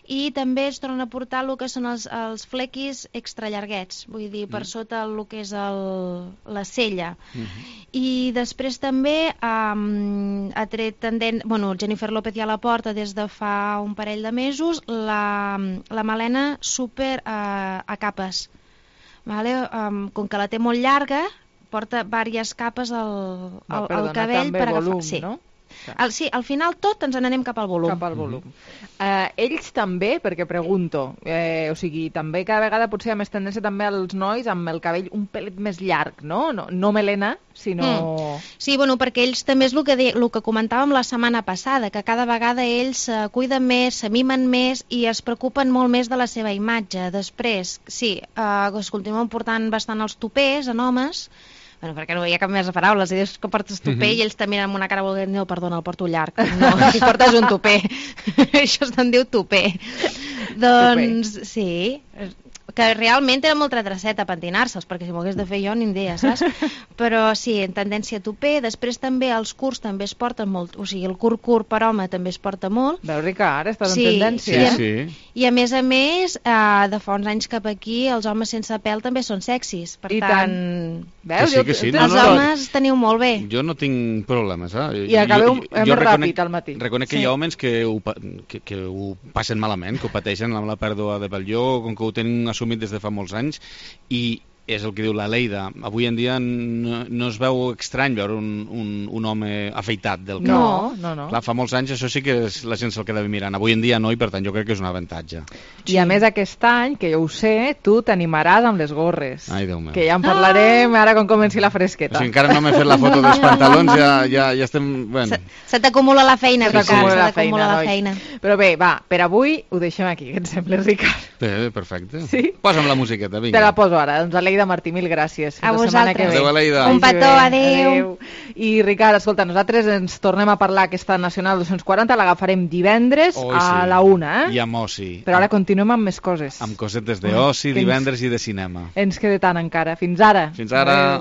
i també es tornen a portar el que són els flequis extrallarguets, vull dir, per sota el que és la cella. I després també ha tret Jennifer López ja la porta des de fa un parell de mesos, la melena super a capes. Com que la té molt llarga, porta diverses capes al cabell per agafar. Sí, no? Sí, al final tot ens n'anem cap al volum. Ells també, perquè pregunto, o sigui, també cada vegada potser hi ha més tendència també als nois amb el cabell un pelet més llarg, no? No melena, sinó... Sí, perquè ells també és el que comentàvem la setmana passada, que cada vegada ells se cuiden més, se mimen més i es preocupen molt més de la seva imatge. Després, sí, es continuen portant bastant els tupers en homes, perquè no hi ha cap més de paraules, i dius que portes tupé i ells també amb una cara volent dir, no, perdona, el porto llarg. No, si portes un tupé. Això se'n diu tupé. Doncs sí, que realment era molta traceta pentinar-se'ls, perquè si m'ho hagués de fer jo ni idea, saps? Però sí, en tendència a toper. Després també els curts també es porten molt, o sigui, el curt per home també es porta molt. Veus, Ricard, estàs en tendència. I a més, de fa uns anys cap aquí, els homes sense pèl també són sexis. Per tant, veus? Els homes teniu molt bé. Jo no tinc problemes, I acabeu més ràpid al matí. Reconec que hi ha homes que ho passen malament, que ho pateixen amb la pèrdua de pèl. Jo, com que ho tenen assumit des de fa molts anys, i és el que diu la Leida, avui en dia no es veu estrany veure un home afeitat del cap. No. Clar, fa molts anys això sí que la gent se'l quedava mirant. Avui en dia no, i per tant jo crec que és un avantatge. I a més aquest any, que jo ho sé, tu t'animaràs amb les gorres. Ai, Déu meu. Que ja en parlarem ara quan comenci la fresqueta. O sigui, encara no m'he fet la foto dels pantalons, ja estem... Bueno. Se t'acumula la feina, Ricard, se t'acumula la feina. Però bé, va, per avui ho deixem aquí, què et sembla, Ricard? Bé, perfecte. Sí? Posa'm la musiqueta, vinga. Te la poso ara, doncs Aleida Martí, mil gràcies. A vosaltres. Adéu, Aleida. Un petó, adéu. I Ricard, escolta, nosaltres ens tornem a parlar aquesta Nacional 240, l'agafarem divendres a la 1, I amb oci. Però ara continuem amb més coses. Amb cosetes d'oci, divendres i de cinema. Ens queda tant encara. Fins ara. Fins ara.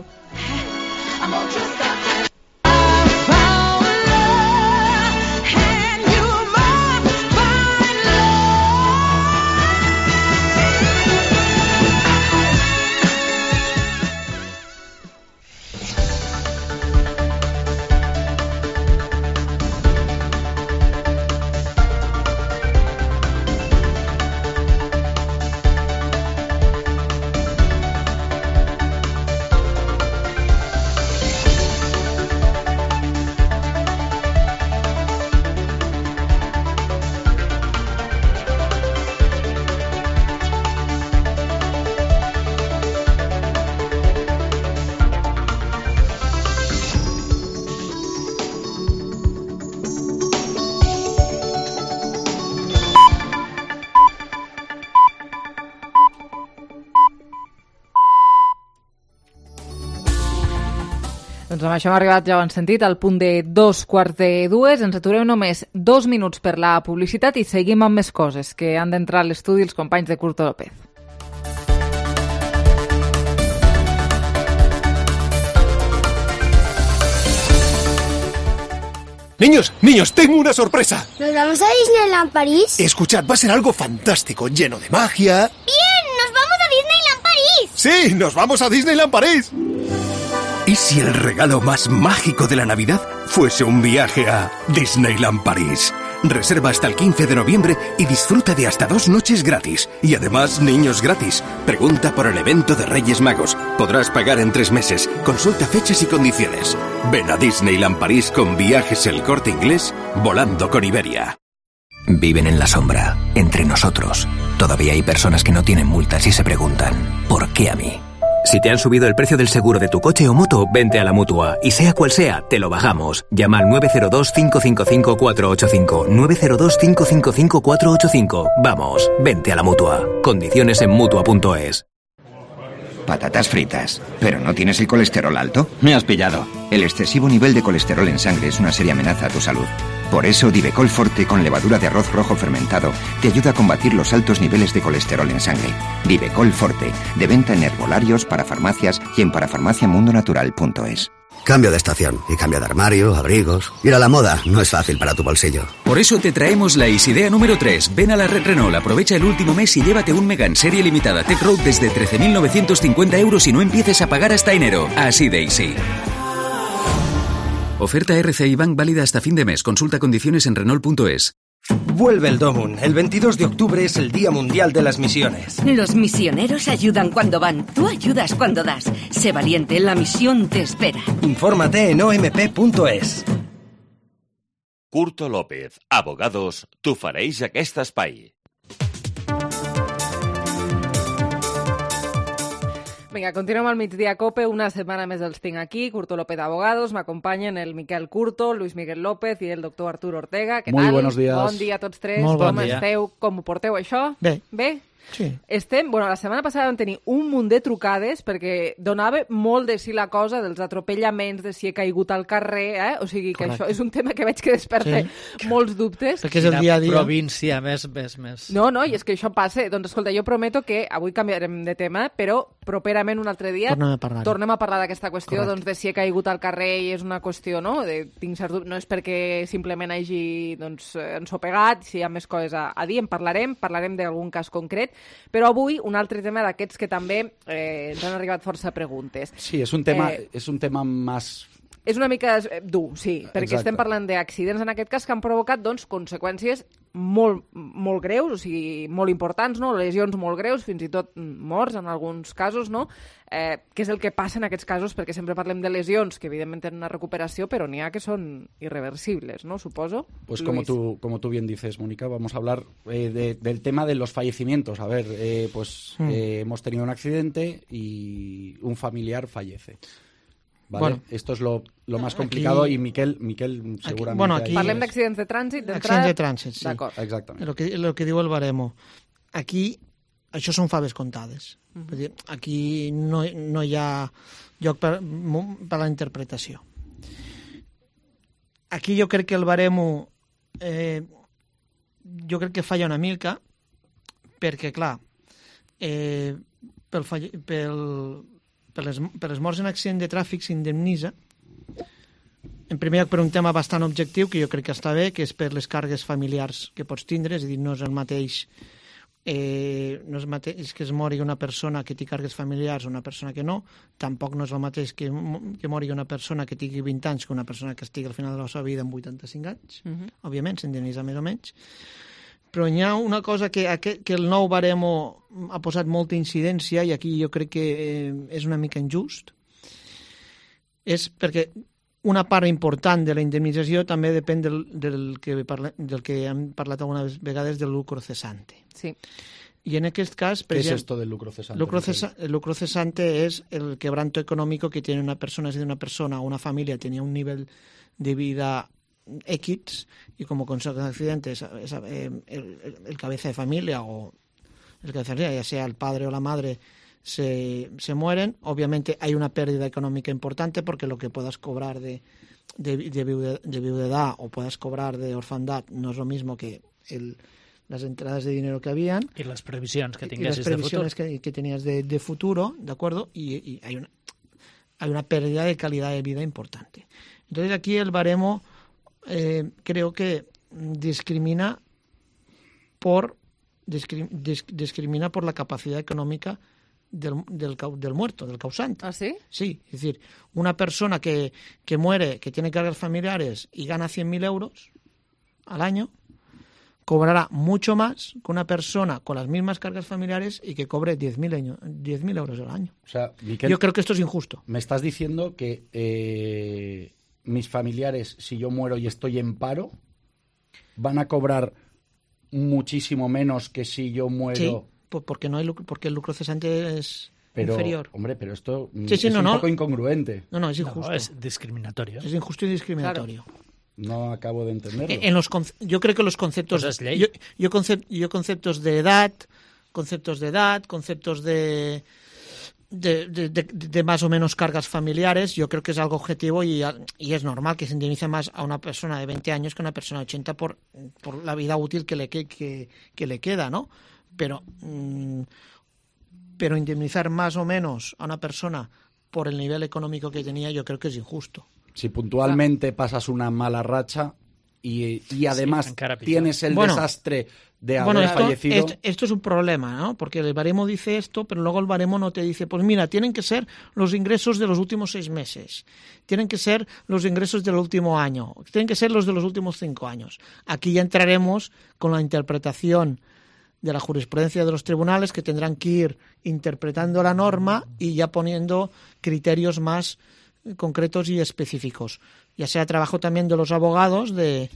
Doncs amb això hem arribat, ja ho han sentit, al punt de 2:45. Ens aturem només 2 minuts per la publicitat i seguim amb més coses que han d'entrar a l'estudi els companys de Curto López. Niños, tengo una sorpresa. ¿Nos vamos a Disneyland París? Escuchad, va a ser algo fantástico, lleno de magia. ¡Bien! ¡Nos vamos a Disneyland París! ¡Sí, nos vamos a Disneyland París! ¿Y si el regalo más mágico de la Navidad fuese un viaje a Disneyland París? Reserva hasta el 15 de noviembre y disfruta de hasta 2 noches gratis. Y además, niños gratis. Pregunta por el evento de Reyes Magos. Podrás pagar en 3 meses. Consulta fechas y condiciones. Ven a Disneyland París con Viajes El Corte Inglés, volando con Iberia. Viven en la sombra, entre nosotros. Todavía hay personas que no tienen multas y se preguntan, ¿por qué a mí? Si te han subido el precio del seguro de tu coche o moto, vente a la Mutua. Y sea cual sea, te lo bajamos. Llama al 902-555-485. 902-555-485. Vamos, vente a la Mutua. Condiciones en Mutua.es. Patatas fritas. ¿Pero no tienes el colesterol alto? Me has pillado. El excesivo nivel de colesterol en sangre es una seria amenaza a tu salud. Por eso, Divecol Forte con levadura de arroz rojo fermentado te ayuda a combatir los altos niveles de colesterol en sangre. Divecol Forte, de venta en herbolarios, parafarmacias y en parafarmaciamundonatural.es. Cambio de estación y cambio de armario, abrigos. Ir a la moda no es fácil para tu bolsillo. Por eso te traemos la Isidea número 3. Ven a la red Renault, aprovecha el último mes y llévate un Megane serie limitada Tech Road desde 13.950 euros y no empieces a pagar hasta enero. Así de easy. Oferta RCI Bank válida hasta fin de mes. Consulta condiciones en Renault.es. Vuelve el Domun. El 22 de octubre es el Día Mundial de las Misiones. Los misioneros ayudan cuando van. Tú ayudas cuando das. Sé valiente, la misión te espera. Infórmate en omp.es. Curto López, abogados, t'ofereix aquest espai. Vinga, continuem al migdia COPE, una setmana més els tinc aquí, Curto López Abogados, m'acompanyen el Miquel Curto, Luis Miguel López i el doctor Arturo Ortega. Què tal? Buenos días. Bon dia a tots tres. Molt bon Com dia. esteu? Com ho porteu, això? Bé. Bé? Sí. La setmana passada vam tenir un munt de trucades perquè donava molt de si la cosa dels atropellaments, de si he caigut al carrer, O sigui que això és un tema que veig que desperta molts dubtes. Perquè és el dia a dia. Província més. No, i és que això passa. Doncs escolta, jo prometo que avui canviarem de tema, però properament un altre dia tornem a parlar d'aquesta qüestió de si he caigut al carrer i és una qüestió, no? Tinc cert dubte, no és perquè simplement hagi ensopegat, si hi ha més coses a dir, en parlarem d'algun cas concret, però avui un altre tema d'aquests que també ens han arribat força preguntes. Sí, és un tema més... És una mica dur, sí, perquè estem parlant d'accidents en aquest cas que han provocat conseqüències molt, molt greus, o sigui, molt importants, no? Lesions molt greus, fins i tot morts en alguns casos, no? Què és el que passa en aquests casos? Perquè sempre parlem de lesions que evidentment tenen una recuperació, però n'hi ha que són irreversibles, ¿no? Suposo. Pues como tú bien dices, Mónica, vamos a hablar del tema de los fallecimientos. A ver, hemos tenido un accidente y un familiar fallece. ¿Vale? Bueno, esto es lo más complicado aquí, y Miquel seguramente... Aquí parlem d'accidents de trànsit, d'entrada... Accidents de trànsit, sí. D'acord. Exactament. El que diu el baremo. Aquí, això són faves comptades. Vull dir, aquí no hi ha lloc per la interpretació. Aquí jo crec que el baremo jo crec que falla una mica perquè, clar, per les morts en accident de tràfic s'indemnitza, en primer lloc per un tema bastant objectiu, que jo crec que està bé, que és per les càrregues familiars que pots tindre, és a dir, no és el mateix que es mori una persona que té càrregues familiars o una persona que no, tampoc no és el mateix que mori una persona que tingui 20 anys que una persona que estigui al final de la seva vida amb 85 anys, òbviament s'indemnitza més o menys. Però hi ha una cosa que el nou baremo ha posat molta incidència i aquí jo crec que és una mica injust. És perquè una part important de la indemnització també depèn del que hem parlat algunes vegades del lucro cesante. Sí. Y en aquest cas... ¿Qué es esto del lucro cesante? El lucro cesante es el quebranto económico que tiene una persona. Si una persona o una familia tenía un nivel de vida X y como consecuencia de accidente el cabeza de familia o el cabeza de familia, ya sea el padre o la madre, se mueren, obviamente hay una pérdida económica importante porque lo que puedas cobrar de viudedad o puedas cobrar de orfandad no es lo mismo que las entradas de dinero que habían y las previsiones que tenías que tenías de futuro, ¿de acuerdo? Y hay una pérdida de calidad de vida importante. Entonces aquí el baremo creo que discrimina por la capacidad económica del muerto, del causante. ¿Ah, sí? Sí, es decir, una persona que muere, que tiene cargas familiares y gana 100.000 euros al año, cobrará mucho más que una persona con las mismas cargas familiares y que cobre 10.000 euros al año. O sea, Miquel, yo creo que esto es injusto. Me estás diciendo que mis familiares, si yo muero y estoy en paro, van a cobrar muchísimo menos que si yo muero... Sí, porque el lucro cesante es inferior. Hombre, pero esto es un poco incongruente. No, es injusto. No, es discriminatorio. Es injusto y discriminatorio. Claro. No acabo de entenderlo. Yo creo que los conceptos... Pues es ley. Yo conceptos de edad, conceptos de más o menos cargas familiares, yo creo que es algo objetivo y es normal que se indemnice más a una persona de 20 años que a una persona de 80 por la vida útil que le queda, ¿no? Pero indemnizar más o menos a una persona por el nivel económico que tenía yo creo que es injusto. Si puntualmente pasas una mala racha y además tienes el desastre de haber fallecido... Esto es un problema, ¿no? Porque el baremo dice esto, pero luego el baremo no te dice, pues mira, tienen que ser los ingresos de los últimos 6 meses, tienen que ser los ingresos del último año, tienen que ser los de los últimos 5 años. Aquí ya entraremos con la interpretación de la jurisprudencia de los tribunales que tendrán que ir interpretando la norma y ya poniendo criterios más concretos y específicos. Ya sea trabajo también de los abogados de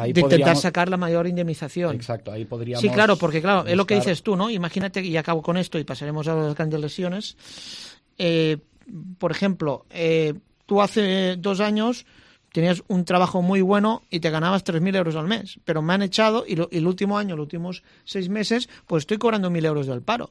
intentar sacar la mayor indemnización. Exacto, ahí podríamos... Sí, claro, porque claro, es lo que dices tú, ¿no? Imagínate, y acabo con esto y pasaremos a las grandes lesiones. Por ejemplo, tú hace 2 años tenías un trabajo muy bueno y te ganabas 3.000 euros al mes, pero me han echado y el último año, los últimos 6 meses, pues estoy cobrando 1.000 euros del paro.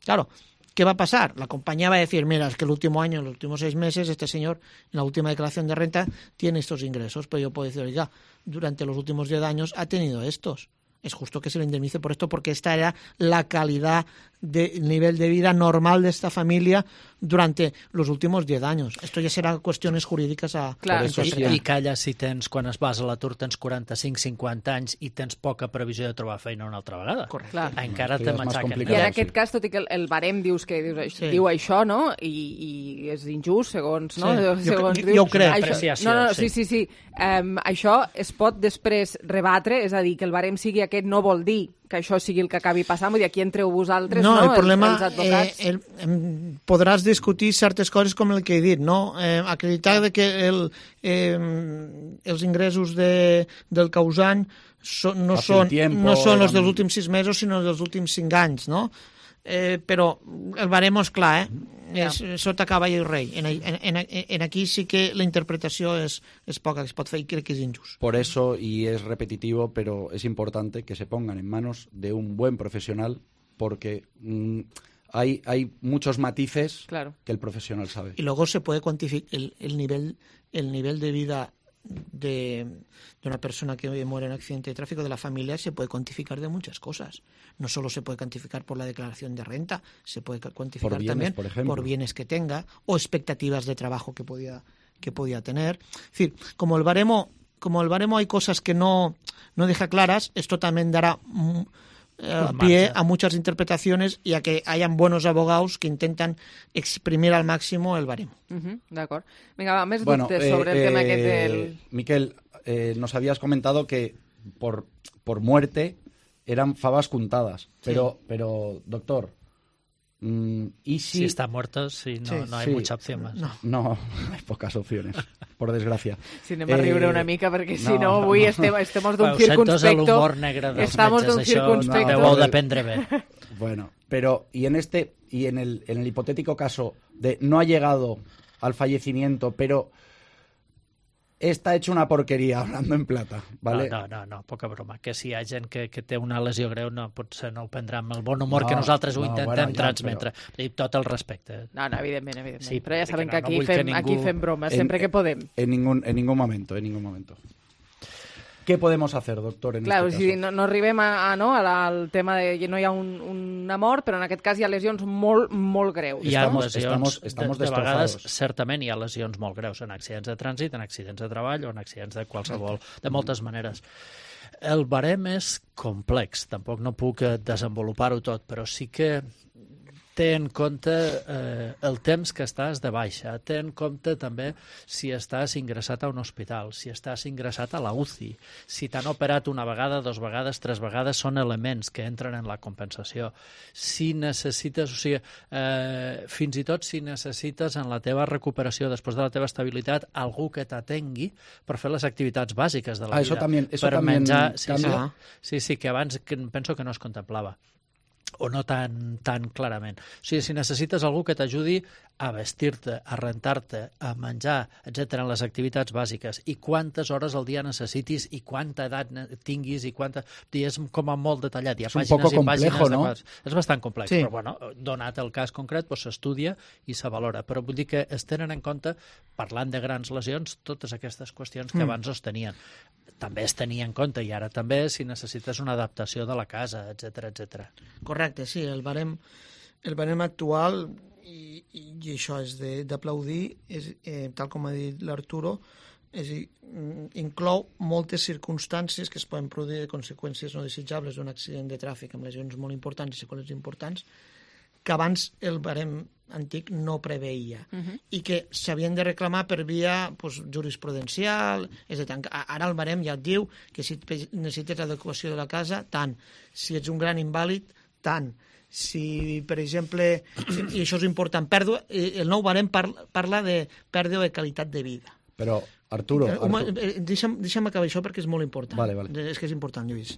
Claro, ¿qué va a pasar? La compañía va a decir, mira, es que el último año, los últimos 6 meses, este señor en la última declaración de renta tiene estos ingresos, pero yo puedo decir, oiga, durante los últimos 10 años ha tenido estos. Es justo que se le indemnice por esto, porque esta era la calidad del nivel de vida normal de esta familia durante los últimos 10 años. Esto ja serà qüestions jurídiques a... Clar, i calla si tens, quan es vas a l'atur, tens 45-50 anys i tens poca previsió de trobar feina una altra vegada. Correcte. Encara te matxaquen. I en aquest cas, tot i que el barem diu això, no? I és injust, segons... No? Jo ho crec. Sí. Això es pot després rebatre, és a dir, que el barem sigui aquest no vol dir que això sigui el que acabi passant, vull dir, aquí entreu vosaltres, no? El problema, els advocats. podràs discutir certes coses com el que he dit, no? Acreditar que els ingressos del causant no són els dels últims 6 mesos, sinó dels últims 5 anys, no? Però el baremo és clar, és sota cavall i rei. En aquí sí que la interpretació és poca que es pot fer i crec que és injust. Por eso, y es repetitivo, pero es importante que se pongan en manos de un buen profesional, porque hay muchos matices que el profesional sabe. Y luego se puede cuantificar el nivel de vida de una persona que muere en accidente de tráfico, de la familia, se puede cuantificar de muchas cosas. No solo se puede cuantificar por la declaración de renta, se puede cuantificar por bienes, también por bienes que tenga o expectativas de trabajo que podía tener. Es decir, como el baremo hay cosas que no deja claras, esto también dará pie a muchas interpretaciones y a que hayan buenos abogados que intentan exprimir al máximo el baremo. D'acord. Vinga, va, més dubtes sobre el tema aquest del... Miquel, nos habías comentado que por muerte eran favas contadas, pero doctor, ¿y si está muerto? Sí, no hay mucha opción más. No, hay pocas opciones, por desgracia. Si anem a riure una mica, perquè si no, avui estem d'un circunspecto. L'humor negre dels metges, això debeu d'aprendre bé. Bueno, pero y en el hipotético caso de no ha llegado al fallecimiento, pero está hecho una porquería, hablando en plata, ¿vale? No, poca broma. Que si hi ha gent que té una lesió greu, potser no ho prendrà amb el bon humor que nosaltres ho intentem transmetre. Tot el respecte. No, evidentment. Sí, però ja saben que aquí fem bromes, sempre que podem. En ningún momento. ¿Qué podemos hacer, doctor, en este caso? Si no arribem al tema de que no hi ha una mort, però en aquest cas hi ha lesions molt, molt greus. Hi ha lesions, estamos de vegades, certament hi ha lesions molt greus en accidents de trànsit, en accidents de treball o en accidents de qualsevol, de moltes maneres. El barem és complex, tampoc no puc desenvolupar-ho tot, però sí que té en compte el temps que estàs de baixa, té en compte també si estàs ingressat a un hospital, si estàs ingressat a la UCI, si t'han operat una vegada, 2 vegades, 3 vegades, són elements que entren en la compensació. Si necessites, fins i tot si necessites en la teva recuperació, després de la teva estabilitat, algú que t'atengui per fer les activitats bàsiques de la vida. Per menjar. Sí, que abans penso que no es contemplava. O no tan clarament. Si necessites algú que t'ajudi a vestir-te, a rentar-te, a menjar, etc., en les activitats bàsiques, i quantes hores al dia necessitis i quanta edat tinguis i quanta... És com a molt detallat. És un poco complejo, ¿no? És bastant complex, però bueno, donat el cas concret, s'estudia i se valora. Però vull dir que es tenen en compte, parlant de grans lesions, totes aquestes qüestions que abans es tenien. També es tenia en compte, i ara també, si necessites una adaptació de la casa, etc. Correcte, sí, el barem actual, i això és d'aplaudir, tal com ha dit l'Arturo, inclou moltes circumstàncies que es poden produir de conseqüències no desitjables d'un accident de tràfic amb lesions molt importants i seqüeles importants, que abans el barem antic no preveia i que s'havien de reclamar per via jurisprudencial. Ara el barem ja et diu que si necessites adequació de la casa, tant. Si ets un gran invàlid, tant. Si, per exemple, i això és important, el nou barem parla de pèrdua de qualitat de vida. Però, Arturo... Deixa'm acabar això perquè és molt important. Vale. És que és important, Lluís.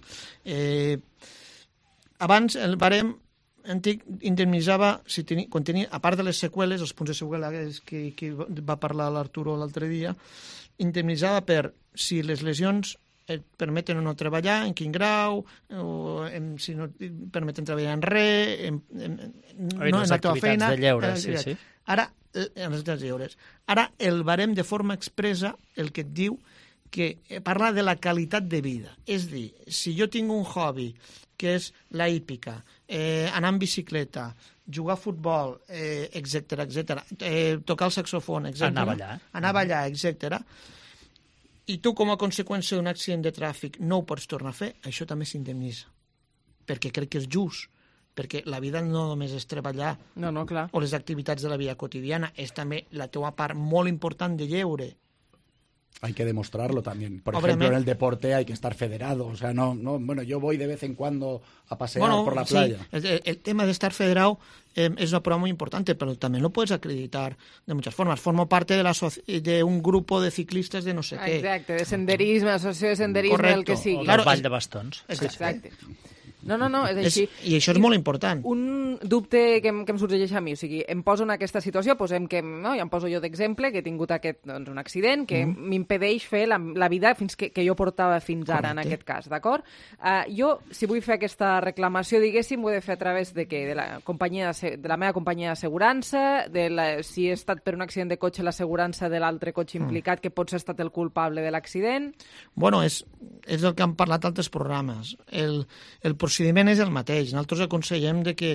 Abans el barem antic indemnitzava, quan tenia, a part de les seqüeles, els punts de seqüela que va parlar l'Arturo l'altre dia, indemnitzada per si les lesions et permeten o no treballar, en quin grau, si no et permeten treballar en res, no en la teva feina. De lleure, sí. Ara, en les activitats lleures. Ara, el barem de forma expressa el que et diu que parla de la qualitat de vida. És a dir, si jo tinc un hobby que és la hípica, anar en bicicleta, jugar a futbol, etc, tocar el saxofon, etc. Anar a ballar, etc. I tu, com a conseqüència d'un accident de tràfic, no ho pots tornar a fer, això també s'indemnitza. Perquè crec que és just. Perquè la vida no només és treballar clar. O les activitats de la vida quotidiana, és també la teva part molt important de lleure. Hay que demostrarlo también. Por ejemplo, en el deporte hay que estar federado. O sea, bueno, yo voy de vez en cuando a pasear por la playa. El tema de estar federado es una prueba muy importante, pero también lo puedes acreditar de muchas formas. Formo parte de un grupo de ciclistas de no sé qué. Exacte, de senderisme, associació de senderisme, el que sigui. Claro, el ball de bastons. Exacte. No, és així. I això és molt important. Un dubte que em sorgeix a mi, o sigui, em poso en aquesta situació, posem que, no, ja em poso jo d'exemple, que he tingut un accident que m'impedeix fer la vida que jo portava fins ara, en aquest cas, d'acord? Jo, si vull fer aquesta reclamació, diguéssim, ho he de fer a través de què? De la meva companyia d'assegurança, si he estat per un accident de cotxe, l'assegurança de l'altre cotxe implicat, que potser ha estat el culpable de l'accident. Bueno, és el que han parlat altres programes. El procediment és el mateix. Nosaltres aconsellem que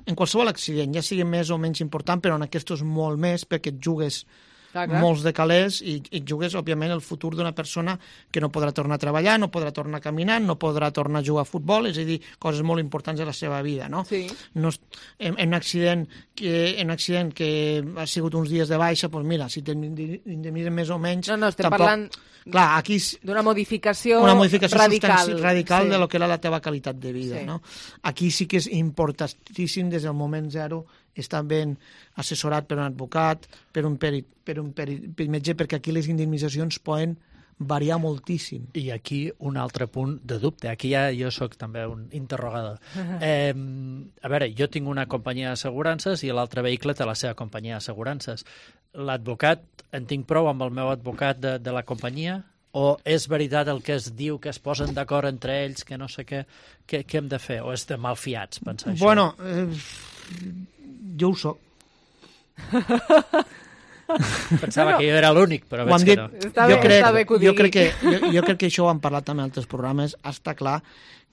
en qualsevol accident, ja sigui més o menys important, però en aquest és molt més perquè et jugues molts de calés i jugues, òbviament, el futur d'una persona que no podrà tornar a treballar, no podrà tornar a caminar, no podrà tornar a jugar a futbol, és a dir, coses molt importants de la seva vida, no? Sí. En un accident que ha sigut uns dies de baixa, doncs mira, si t'indemnitzen més o menys... No, estem parlant d'una modificació radical de lo que era la teva qualitat de vida, no? Aquí sí que és importantíssim des del moment zero estar ben assessorat per un advocat, per un metge, perquè aquí les indemnitzacions poden variar moltíssim. I aquí un altre punt de dubte. Aquí ja jo sóc també un interrogador. A veure, jo tinc una companyia d'assegurances i l'altre vehicle té la seva companyia d'assegurances. L'advocat, en tinc prou amb el meu advocat de la companyia? O és veritat el que es diu, que es posen d'acord entre ells, que no sé què hem de fer? O és de malfiats, pensar això? Bueno, jo ho soc. Pensava que jo era l'únic, però veig que no. Jo crec que això ho han parlat també en altres programes. Està clar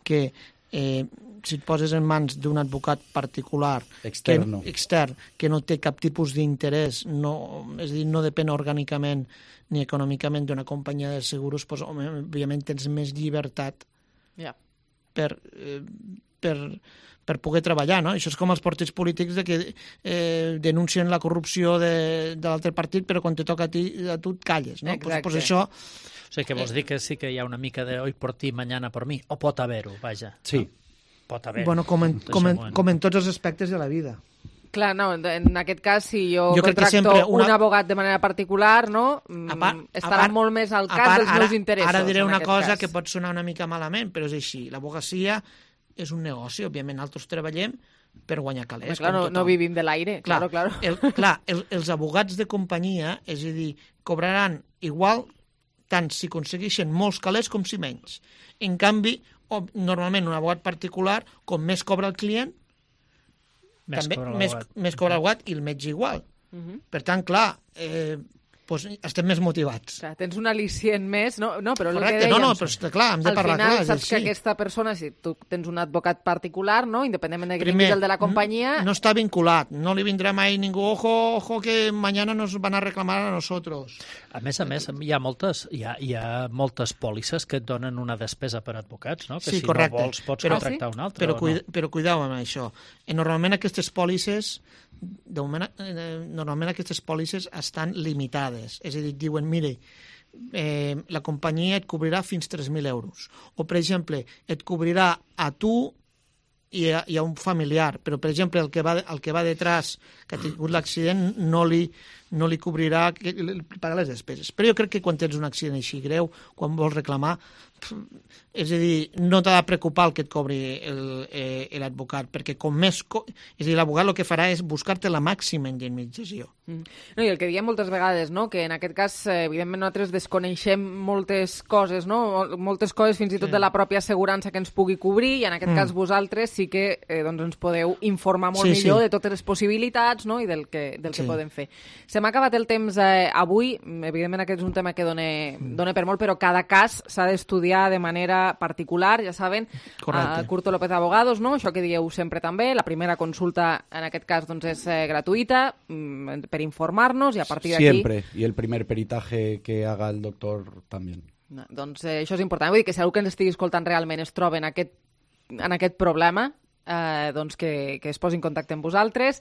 que si et poses en mans d'un advocat particular extern, que no té cap tipus d'interès, és a dir, no depèn orgànicament ni econòmicament d'una companyia de seguros, doncs, òbviament tens més llibertat per poder treballar, no? Això és com els partits polítics que denuncien la corrupció de l'altre partit, però quan te toca a tu et calles, no? Pues això... O sigui, que vols dir que sí que hi ha una mica de hoy por ti, mañana por mí, o pot haver-ho, vaja. Sí. Pot haver-ho. Bueno, com en tots els aspectes de la vida. Clar, no, en aquest cas, si jo contracto un abogat de manera particular, no, estarà molt més al cas dels meus interessos. Ara diré una cosa que pot sonar una mica malament, però és així. L'abogacia és un negoci, òbviament, nosaltres treballem per guanyar calés. Clar, no vivim de l'aire, claro. Clar, els abogats de companyia, és a dir, cobraran igual tant si aconsegueixen molts calés com si menys. En canvi, normalment un abogat particular, com més cobra el client, més cobra l'abogat i el metge igual. Per tant, clar, estem més motivats. Clar, tens un al·licient més, no? Però correcte, no, però està clar, hem de parlar clar. Al final saps que aquesta persona, si tu tens un advocat particular, no, independentment de que tinguis el de la companyia... No està vinculat, no li vindrà mai ningú, ojo que mañana nos van a reclamar a nosotros. A més, hi ha moltes pòlisses que et donen una despesa per advocats, no? Que sí, si correcte. No vols pots contractar un altre. Però cuidao amb això. Normalment aquestes pòlisses normalment aquestes pòlisses estan limitades, és a dir, diuen, mire, la companyia et cobrirà fins 3.000 euros, o per exemple, et cobrirà a tu i a un familiar, però per exemple el que va detrás, que ha tingut l'accident, no no li cobrirà pagar les despeses. Però jo crec que quan tens un accident així greu, quan vols reclamar, és a dir, no t'ha de preocupar el que et cobri l'advocat, perquè com més... És a dir, l'advocat el que farà és buscar-te la màxima indemnització. No, i el que diem moltes vegades, no? Que en aquest cas, evidentment, nosaltres desconeixem moltes coses, no? Moltes coses fins i tot de la pròpia assegurança que ens pugui cobrir, i en aquest cas vosaltres sí que doncs ens podeu informar molt millor de totes les possibilitats, no? I del que podem fer. Se m'ha acabat el temps avui, evidentment aquest és un tema que dona per molt, però cada cas s'ha d'estudiar de manera particular, ja saben, Curto López Abogados, no? Això que dieu sempre també, la primera consulta en aquest cas doncs és gratuïta per informar-nos i a partir d'aquí... Siempre, y el primer peritaje que haga el doctor también. Doncs això és important, vull dir que si algú que ens estigui escoltant realment es troba en aquest problema, doncs que es posi en contacte amb vosaltres.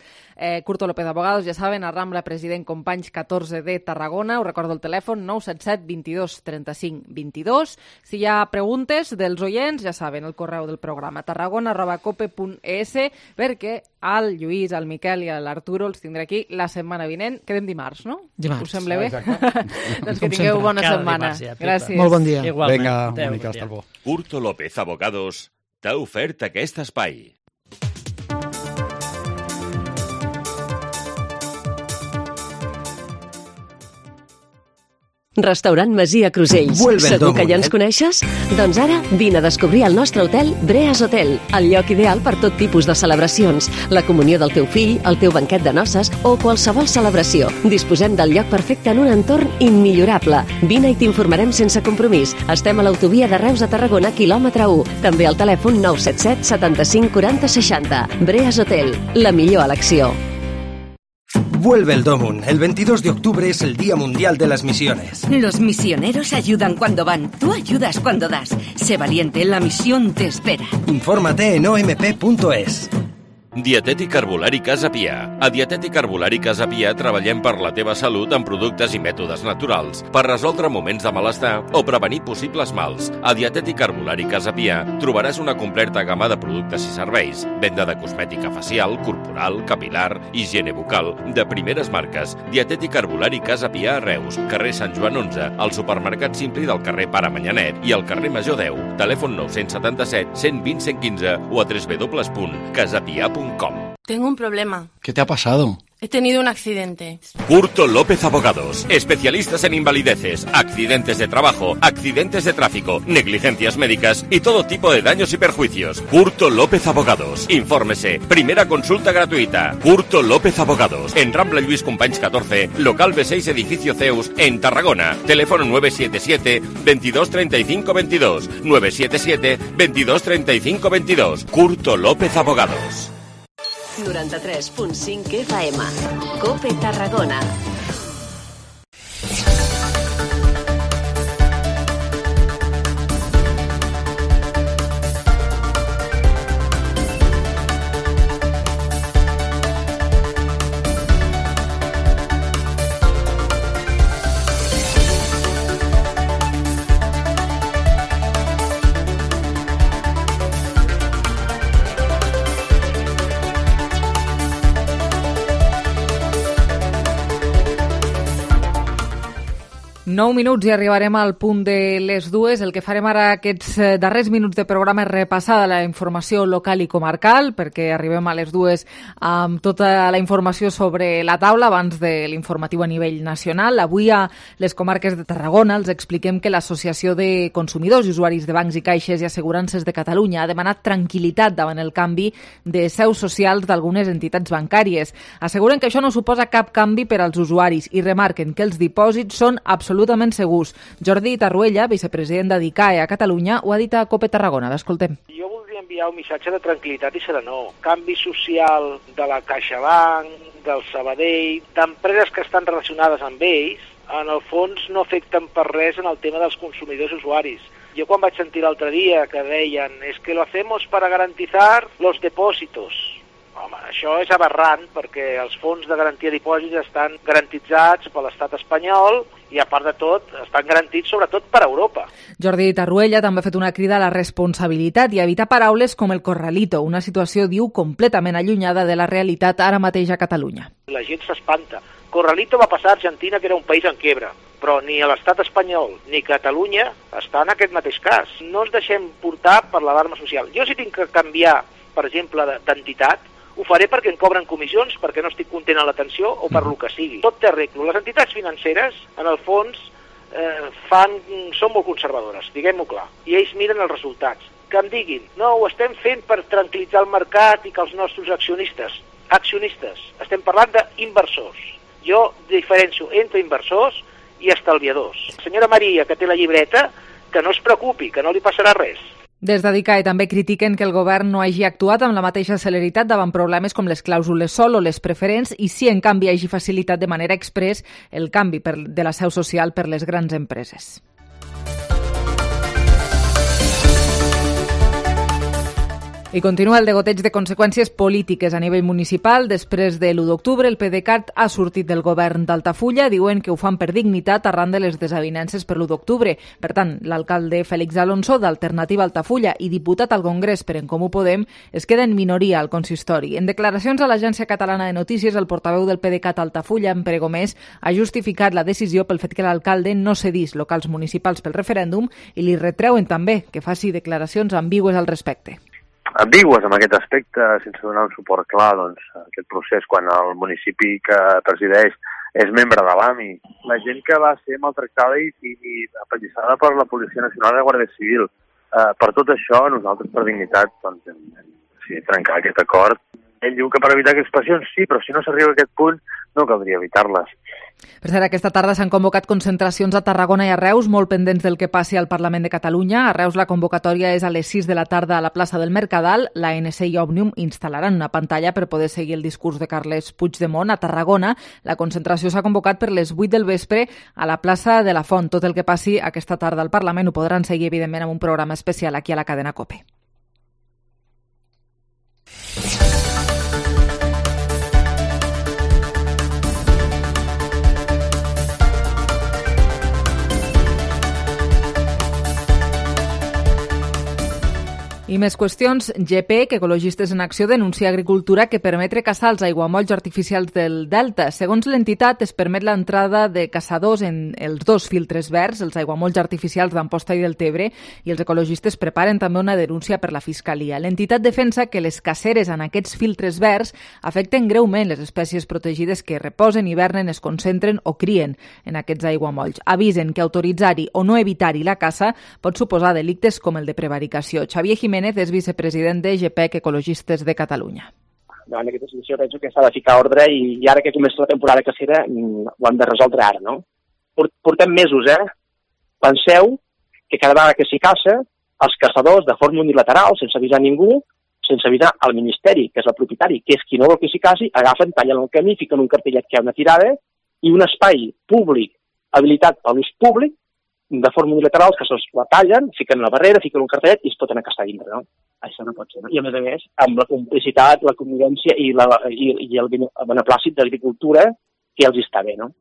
Curto López Abogados, ja saben, a Rambla President Companys 14 de Tarragona, us recordo el telèfon 977 22 35 22. Si hi ha preguntes dels oients, ja saben, el correu del programa tarragona@cope.es, perquè al Lluís, al Miquel i a l'Arturo els tindré aquí la setmana vinent. Quedem dimarts, no? Dimarts. Us sembla bé? Doncs que tingueu bona setmana. Gràcies. Molt bon dia. Igualment. Vinga, Mónica, hasta luego. Curto López Abogados t'ha ofert aquest espai. Restaurant Masia Crusells. Segur que ja ens coneixes? Doncs ara vine a descobrir el nostre hotel Breas Hotel, el lloc ideal per tot tipus de celebracions, la comunió del teu fill, el teu banquet de noces o qualsevol celebració. Disposem del lloc perfecte en un entorn immillorable. Vine i t'informarem sense compromís. Estem a l'autovia de Reus a Tarragona, quilòmetre 1. També al telèfon 977 75 40 60. Breas Hotel, la millor elecció. Vuelve el Domun. El 22 de octubre es el Día Mundial de las Misiones. Los misioneros ayudan cuando van. Tú ayudas cuando das. Sé valiente, la misión te espera. Infórmate en omp.es. Dietètic Herbolari Casa Pia. A Dietètic Herbolari Casa Pia treballem per la teva salut amb productes i mètodes naturals per resoldre moments de malestar o prevenir possibles mals. A Dietètic Herbolari Casa Pia trobaràs una completa gamma de productes i serveis, venda de cosmètica facial, corporal, capilar, higiene bucal, de primeres marques. Dietètic Herbolari Casa Pia a Reus, carrer Sant Joan 11, al supermercat Simpli del carrer Pare Manyanet i al carrer Major 10. Telèfon 977 120 115 o a www.casapia.com. Tengo un problema. ¿Qué te ha pasado? He tenido un accidente. Curto López Abogados, especialistas en invalideces, accidentes de trabajo, accidentes de tráfico, negligencias médicas y todo tipo de daños y perjuicios. Curto López Abogados. Infórmese. Primera consulta gratuita. Curto López Abogados. En Rambla Lluís Companys 14, local B6, edificio Zeus, en Tarragona. Teléfono 977 22 35 22. 977 22 35 22. Curto López Abogados. 93.5 FM. COPE Tarragona. Nou minuts i arribarem al punt de les dues. El que farem ara aquests darrers minuts de programa és repassar la informació local i comarcal, perquè arribem a les dues amb tota la informació sobre la taula abans de l'informatiu a nivell nacional. Avui a les comarques de Tarragona els expliquem que l'Associació de Consumidors i Usuaris de Bancs i Caixes i Assegurances de Catalunya ha demanat tranquil·litat davant el canvi de seus socials d'algunes entitats bancàries. Asseguren que això no suposa cap canvi per als usuaris i remarquen que els dipòsits són absolutament segurs. Jordi Tarruella, vicepresident de DICAE a Catalunya, ho ha dit a COPE Tarragona. L'escoltem. Jo voldria enviar un missatge de tranquil·litat i serenor. Canvi social de la CaixaBank, del Sabadell, d'empreses que estan relacionades amb ells, en el fons no afecten per res en el tema dels consumidors i usuaris. Jo quan vaig sentir l'altre dia que deien es que lo hacemos para garantizar los depósitos. Home, això és aberrant perquè els fons de garantia de dipòsits estan garantitzats per l'estat espanyol i, a part de tot, estan garantits sobretot per Europa. Jordi Tarruella també ha fet una crida a la responsabilitat i a evitar paraules com el corralito, una situació, diu, completament allunyada de la realitat ara mateix a Catalunya. La gent s'espanta Corralito va passar a Argentina, que era un país en quiebra, però ni a l'estat espanyol ni Catalunya està en aquest mateix cas. No ens deixem portar per l'alarma social. Jo si tinc que canviar, per exemple, d'entitat, ho faré perquè em cobren comissions, perquè no estic content a l'atenció o per lo que sigui. Tot té arreglo. Les entitats financeres, en el fons, són molt conservadores, diguem-ho clar, i ells miren els resultats. Que em diguin, no, ho estem fent per tranquil·litzar el mercat i que els nostres accionistes, estem parlant d'inversors. Jo diferencio entre inversors i estalviadors. La senyora Maria, que té la llibreta, que no es preocupi, que no li passarà res. Des d'Adicae també critiquen que el govern no hagi actuat amb la mateixa celeritat davant problemes com les clàusules sol o les preferents i si, en canvi, hagi facilitat de manera express el canvi de la seu social per les grans empreses. I continua el degoteig de conseqüències polítiques a nivell municipal. Després de l'1 d'octubre, el PDeCAT ha sortit del govern d'Altafulla, diuen que ho fan per dignitat arran de les desavinences per l'1 d'octubre. Per tant, l'alcalde Félix Alonso, d'Alternativa Altafulla i diputat al Congrés per En Comú Podem, es queda en minoria al consistori. En declaracions a l'Agència Catalana de Notícies, el portaveu del PDeCAT Altafulla, en Pere Gomés, ha justificat la decisió pel fet que l'alcalde no cedís locals municipals pel referèndum i li retreuen també que faci declaracions ambigües al respecte. Ambigües en aquest aspecte, sense donar un suport clar a aquest procés quan el municipi que presideix és membre de l'AMI. La gent que va ser maltractada i apallissada per la Policia Nacional i la Guàrdia Civil. Per tot això, nosaltres per dignitat hem decidit trencar aquest acord. Ell diu que per evitar aquestes passions sí, però si no s'arriba a aquest punt no caldria evitar-les. Per cert, aquesta tarda s'han convocat concentracions a Tarragona i a Reus, molt pendents del que passi al Parlament de Catalunya. A Reus la convocatòria és a les 6 de la tarda a la plaça del Mercadal. l'ANC i Òmnium instal·laran una pantalla per poder seguir el discurs de Carles Puigdemont. A Tarragona la concentració s'ha convocat per les 8 del vespre a la plaça de la Font. Tot el que passi aquesta tarda al Parlament ho podran seguir, evidentment, amb un programa especial aquí a la cadena COPE. I més qüestions. GP, que Ecologistes en Acció, denuncia Agricultura que permetre caçar els aiguamolls artificials del Delta. Segons l'entitat, es permet l'entrada de caçadors en els dos filtres verds, els aiguamolls artificials d'Amposta i del Tebre, i els ecologistes preparen també una denúncia per la Fiscalia. L'entitat defensa que les caceres en aquests filtres verds afecten greument les espècies protegides que reposen, hivernen, es concentren o crien en aquests aiguamolls. Avisen que autoritzar-hi o no evitar-hi la caça pot suposar delictes com el de prevaricació. Xavier Jiménez és vicepresident de GPEC Ecologistes de Catalunya. Davant d'aquesta situació penso que s'ha de ficar ordre i ara que comença la temporada cacera ho hem de resoldre ara, no? Portem mesos, Penseu que cada vegada que s'hi caça, els caçadors, de forma unilateral, sense avisar ningú, sense avisar al Ministeri, que és el propietari, que és qui no vol que s'hi caci, agafen, tallen el camí, fiquen un cartellet que hi ha una tirada i un espai públic habilitat per l'ús públic, de forma unilateral, els caçadors la tallen, fiquen una barrera, fiquen un cartellet i es pot anar a caçar dintre, no? Això no pot ser, no? I a més, amb la complicitat, la convivència i el beneplàcit d'agricultura que els està bé, no?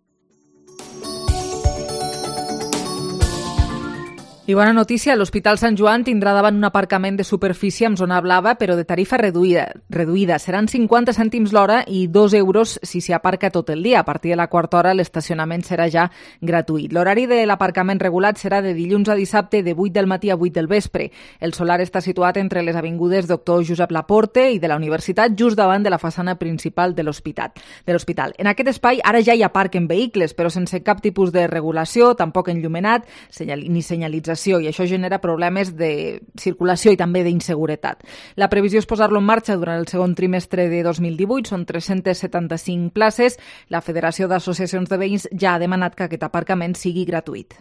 I bona notícia, l'Hospital Sant Joan tindrà davant un aparcament de superfície amb zona blava, però de tarifa reduïda. Seran 50 cèntims l'hora i 2 euros si s'hi aparca tot el dia. A partir de la quarta hora l'estacionament serà ja gratuït. L'horari de l'aparcament regulat serà de dilluns a dissabte de 8 del matí a 8 del vespre. El solar està situat entre les avingudes Doctor Josep Laporte i de la Universitat, just davant de la façana principal de l'hospital. En aquest espai ara ja hi aparquen vehicles, però sense cap tipus de regulació, tampoc enllumenat, ni senyalització, i això genera problemes de circulació i també d'inseguretat. La previsió és posar-lo en marxa durant el segon trimestre de 2018, són 375 places. La Federació d'Associacions de Veïns ja ha demanat que aquest aparcament sigui gratuït.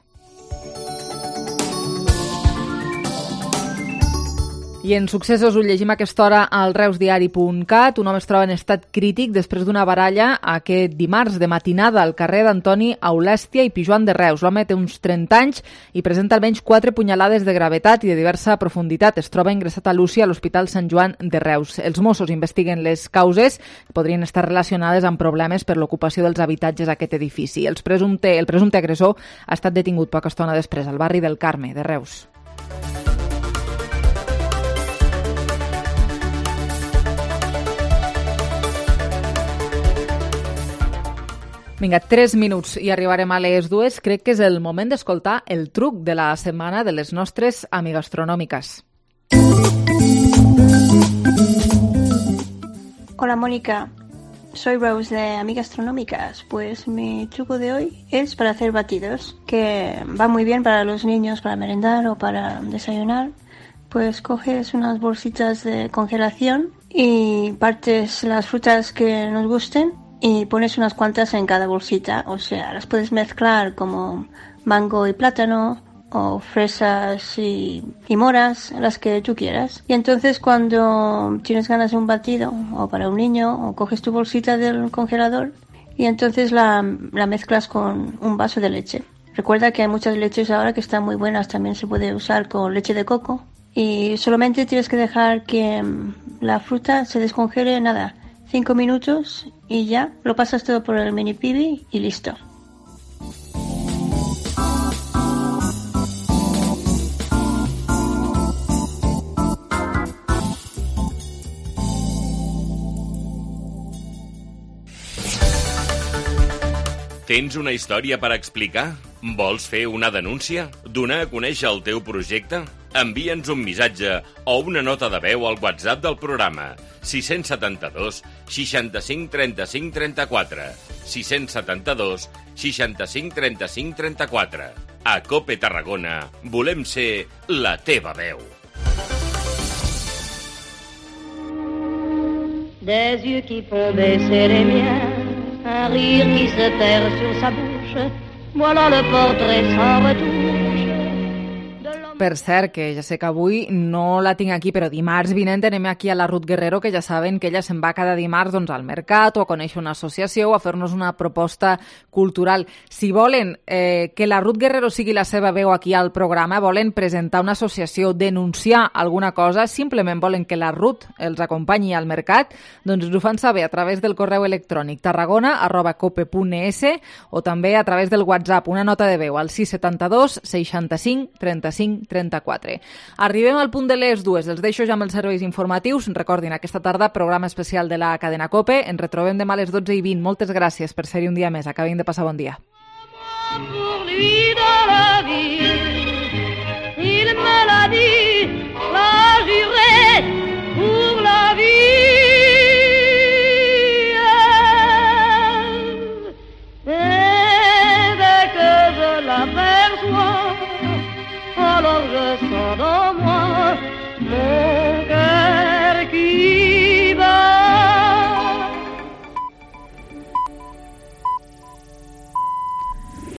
I en successos ho llegim a aquesta hora al reusdiari.cat. Un home es troba en estat crític després d'una baralla aquest dimarts de matinada al carrer d'Antoni Aulèstia i Pijoan de Reus. L'home té uns 30 anys i presenta almenys 4 punyalades de gravetat i de diversa profunditat. Es troba ingressat a l'UCI a l'Hospital Sant Joan de Reus. Els Mossos investiguen les causes que podrien estar relacionades amb problemes per l'ocupació dels habitatges a aquest edifici. El presumpte agressor ha estat detingut poca estona després al barri del Carme de Reus. Vinga, 3 minuts i arribarem a les 2. Crec que és el moment d'escoltar el truc de la setmana de les nostres amigastronòmiques. Hola Mónica, soy Rose de Amigastronómicas. Pues mi truco de hoy es para hacer batidos, que va muy bien para los niños, para merendar o para desayunar. Pues coges unas bolsitas de congelación y partes las frutas que nos gusten y pones unas cuantas en cada bolsita. O sea, las puedes mezclar como mango y plátano, o fresas y moras, las que tú quieras. Y entonces cuando tienes ganas de un batido, o para un niño, o coges tu bolsita del congelador y entonces la mezclas con un vaso de leche. Recuerda que hay muchas leches ahora que están muy buenas, también se puede usar con leche de coco. Y solamente tienes que dejar que la fruta se descongele, 5 minutos y ya lo pasas todo por el mini pibi y listo. Tens una història per explicar? Vols fer una denúncia? Donar a conèixer el teu projecte? Envia'ns un missatge o una nota de veu al WhatsApp del programa 672 65 35 34 672 65 35 34. A COPE Tarragona volem ser la teva veu. Des yeux qui font baisser les miens, un rire qui se perd sur sa bouche, voilà le portrait sans retouche. Per cert, que ja sé que avui no la tinc aquí, però dimarts vinent anem aquí a la Ruth Guerrero, que ja saben que ella se'n va cada dimarts al mercat o a conèixer una associació o a fer-nos una proposta cultural. Si volen que la Ruth Guerrero sigui la seva veu aquí al programa, volen presentar una associació, denunciar alguna cosa, simplement volen que la Ruth els acompanyi al mercat, doncs ens ho fan saber a través del correu electrònic tarragona@cope.es o també a través del WhatsApp, una nota de veu al 672 65 35 34. Arribem al punt de les 2. Els deixo ja amb els serveis informatius. Recordin, aquesta tarda, programa especial de la cadena COPE. Ens retrobem demà a les 12:20. Moltes gràcies per ser-hi un dia més. Acabem de passar bon dia. Pour lui dans la vie, il me l'a dit, l'a juré pour la vie. Et dès que je l'aperçois, alors je sens dans moi mon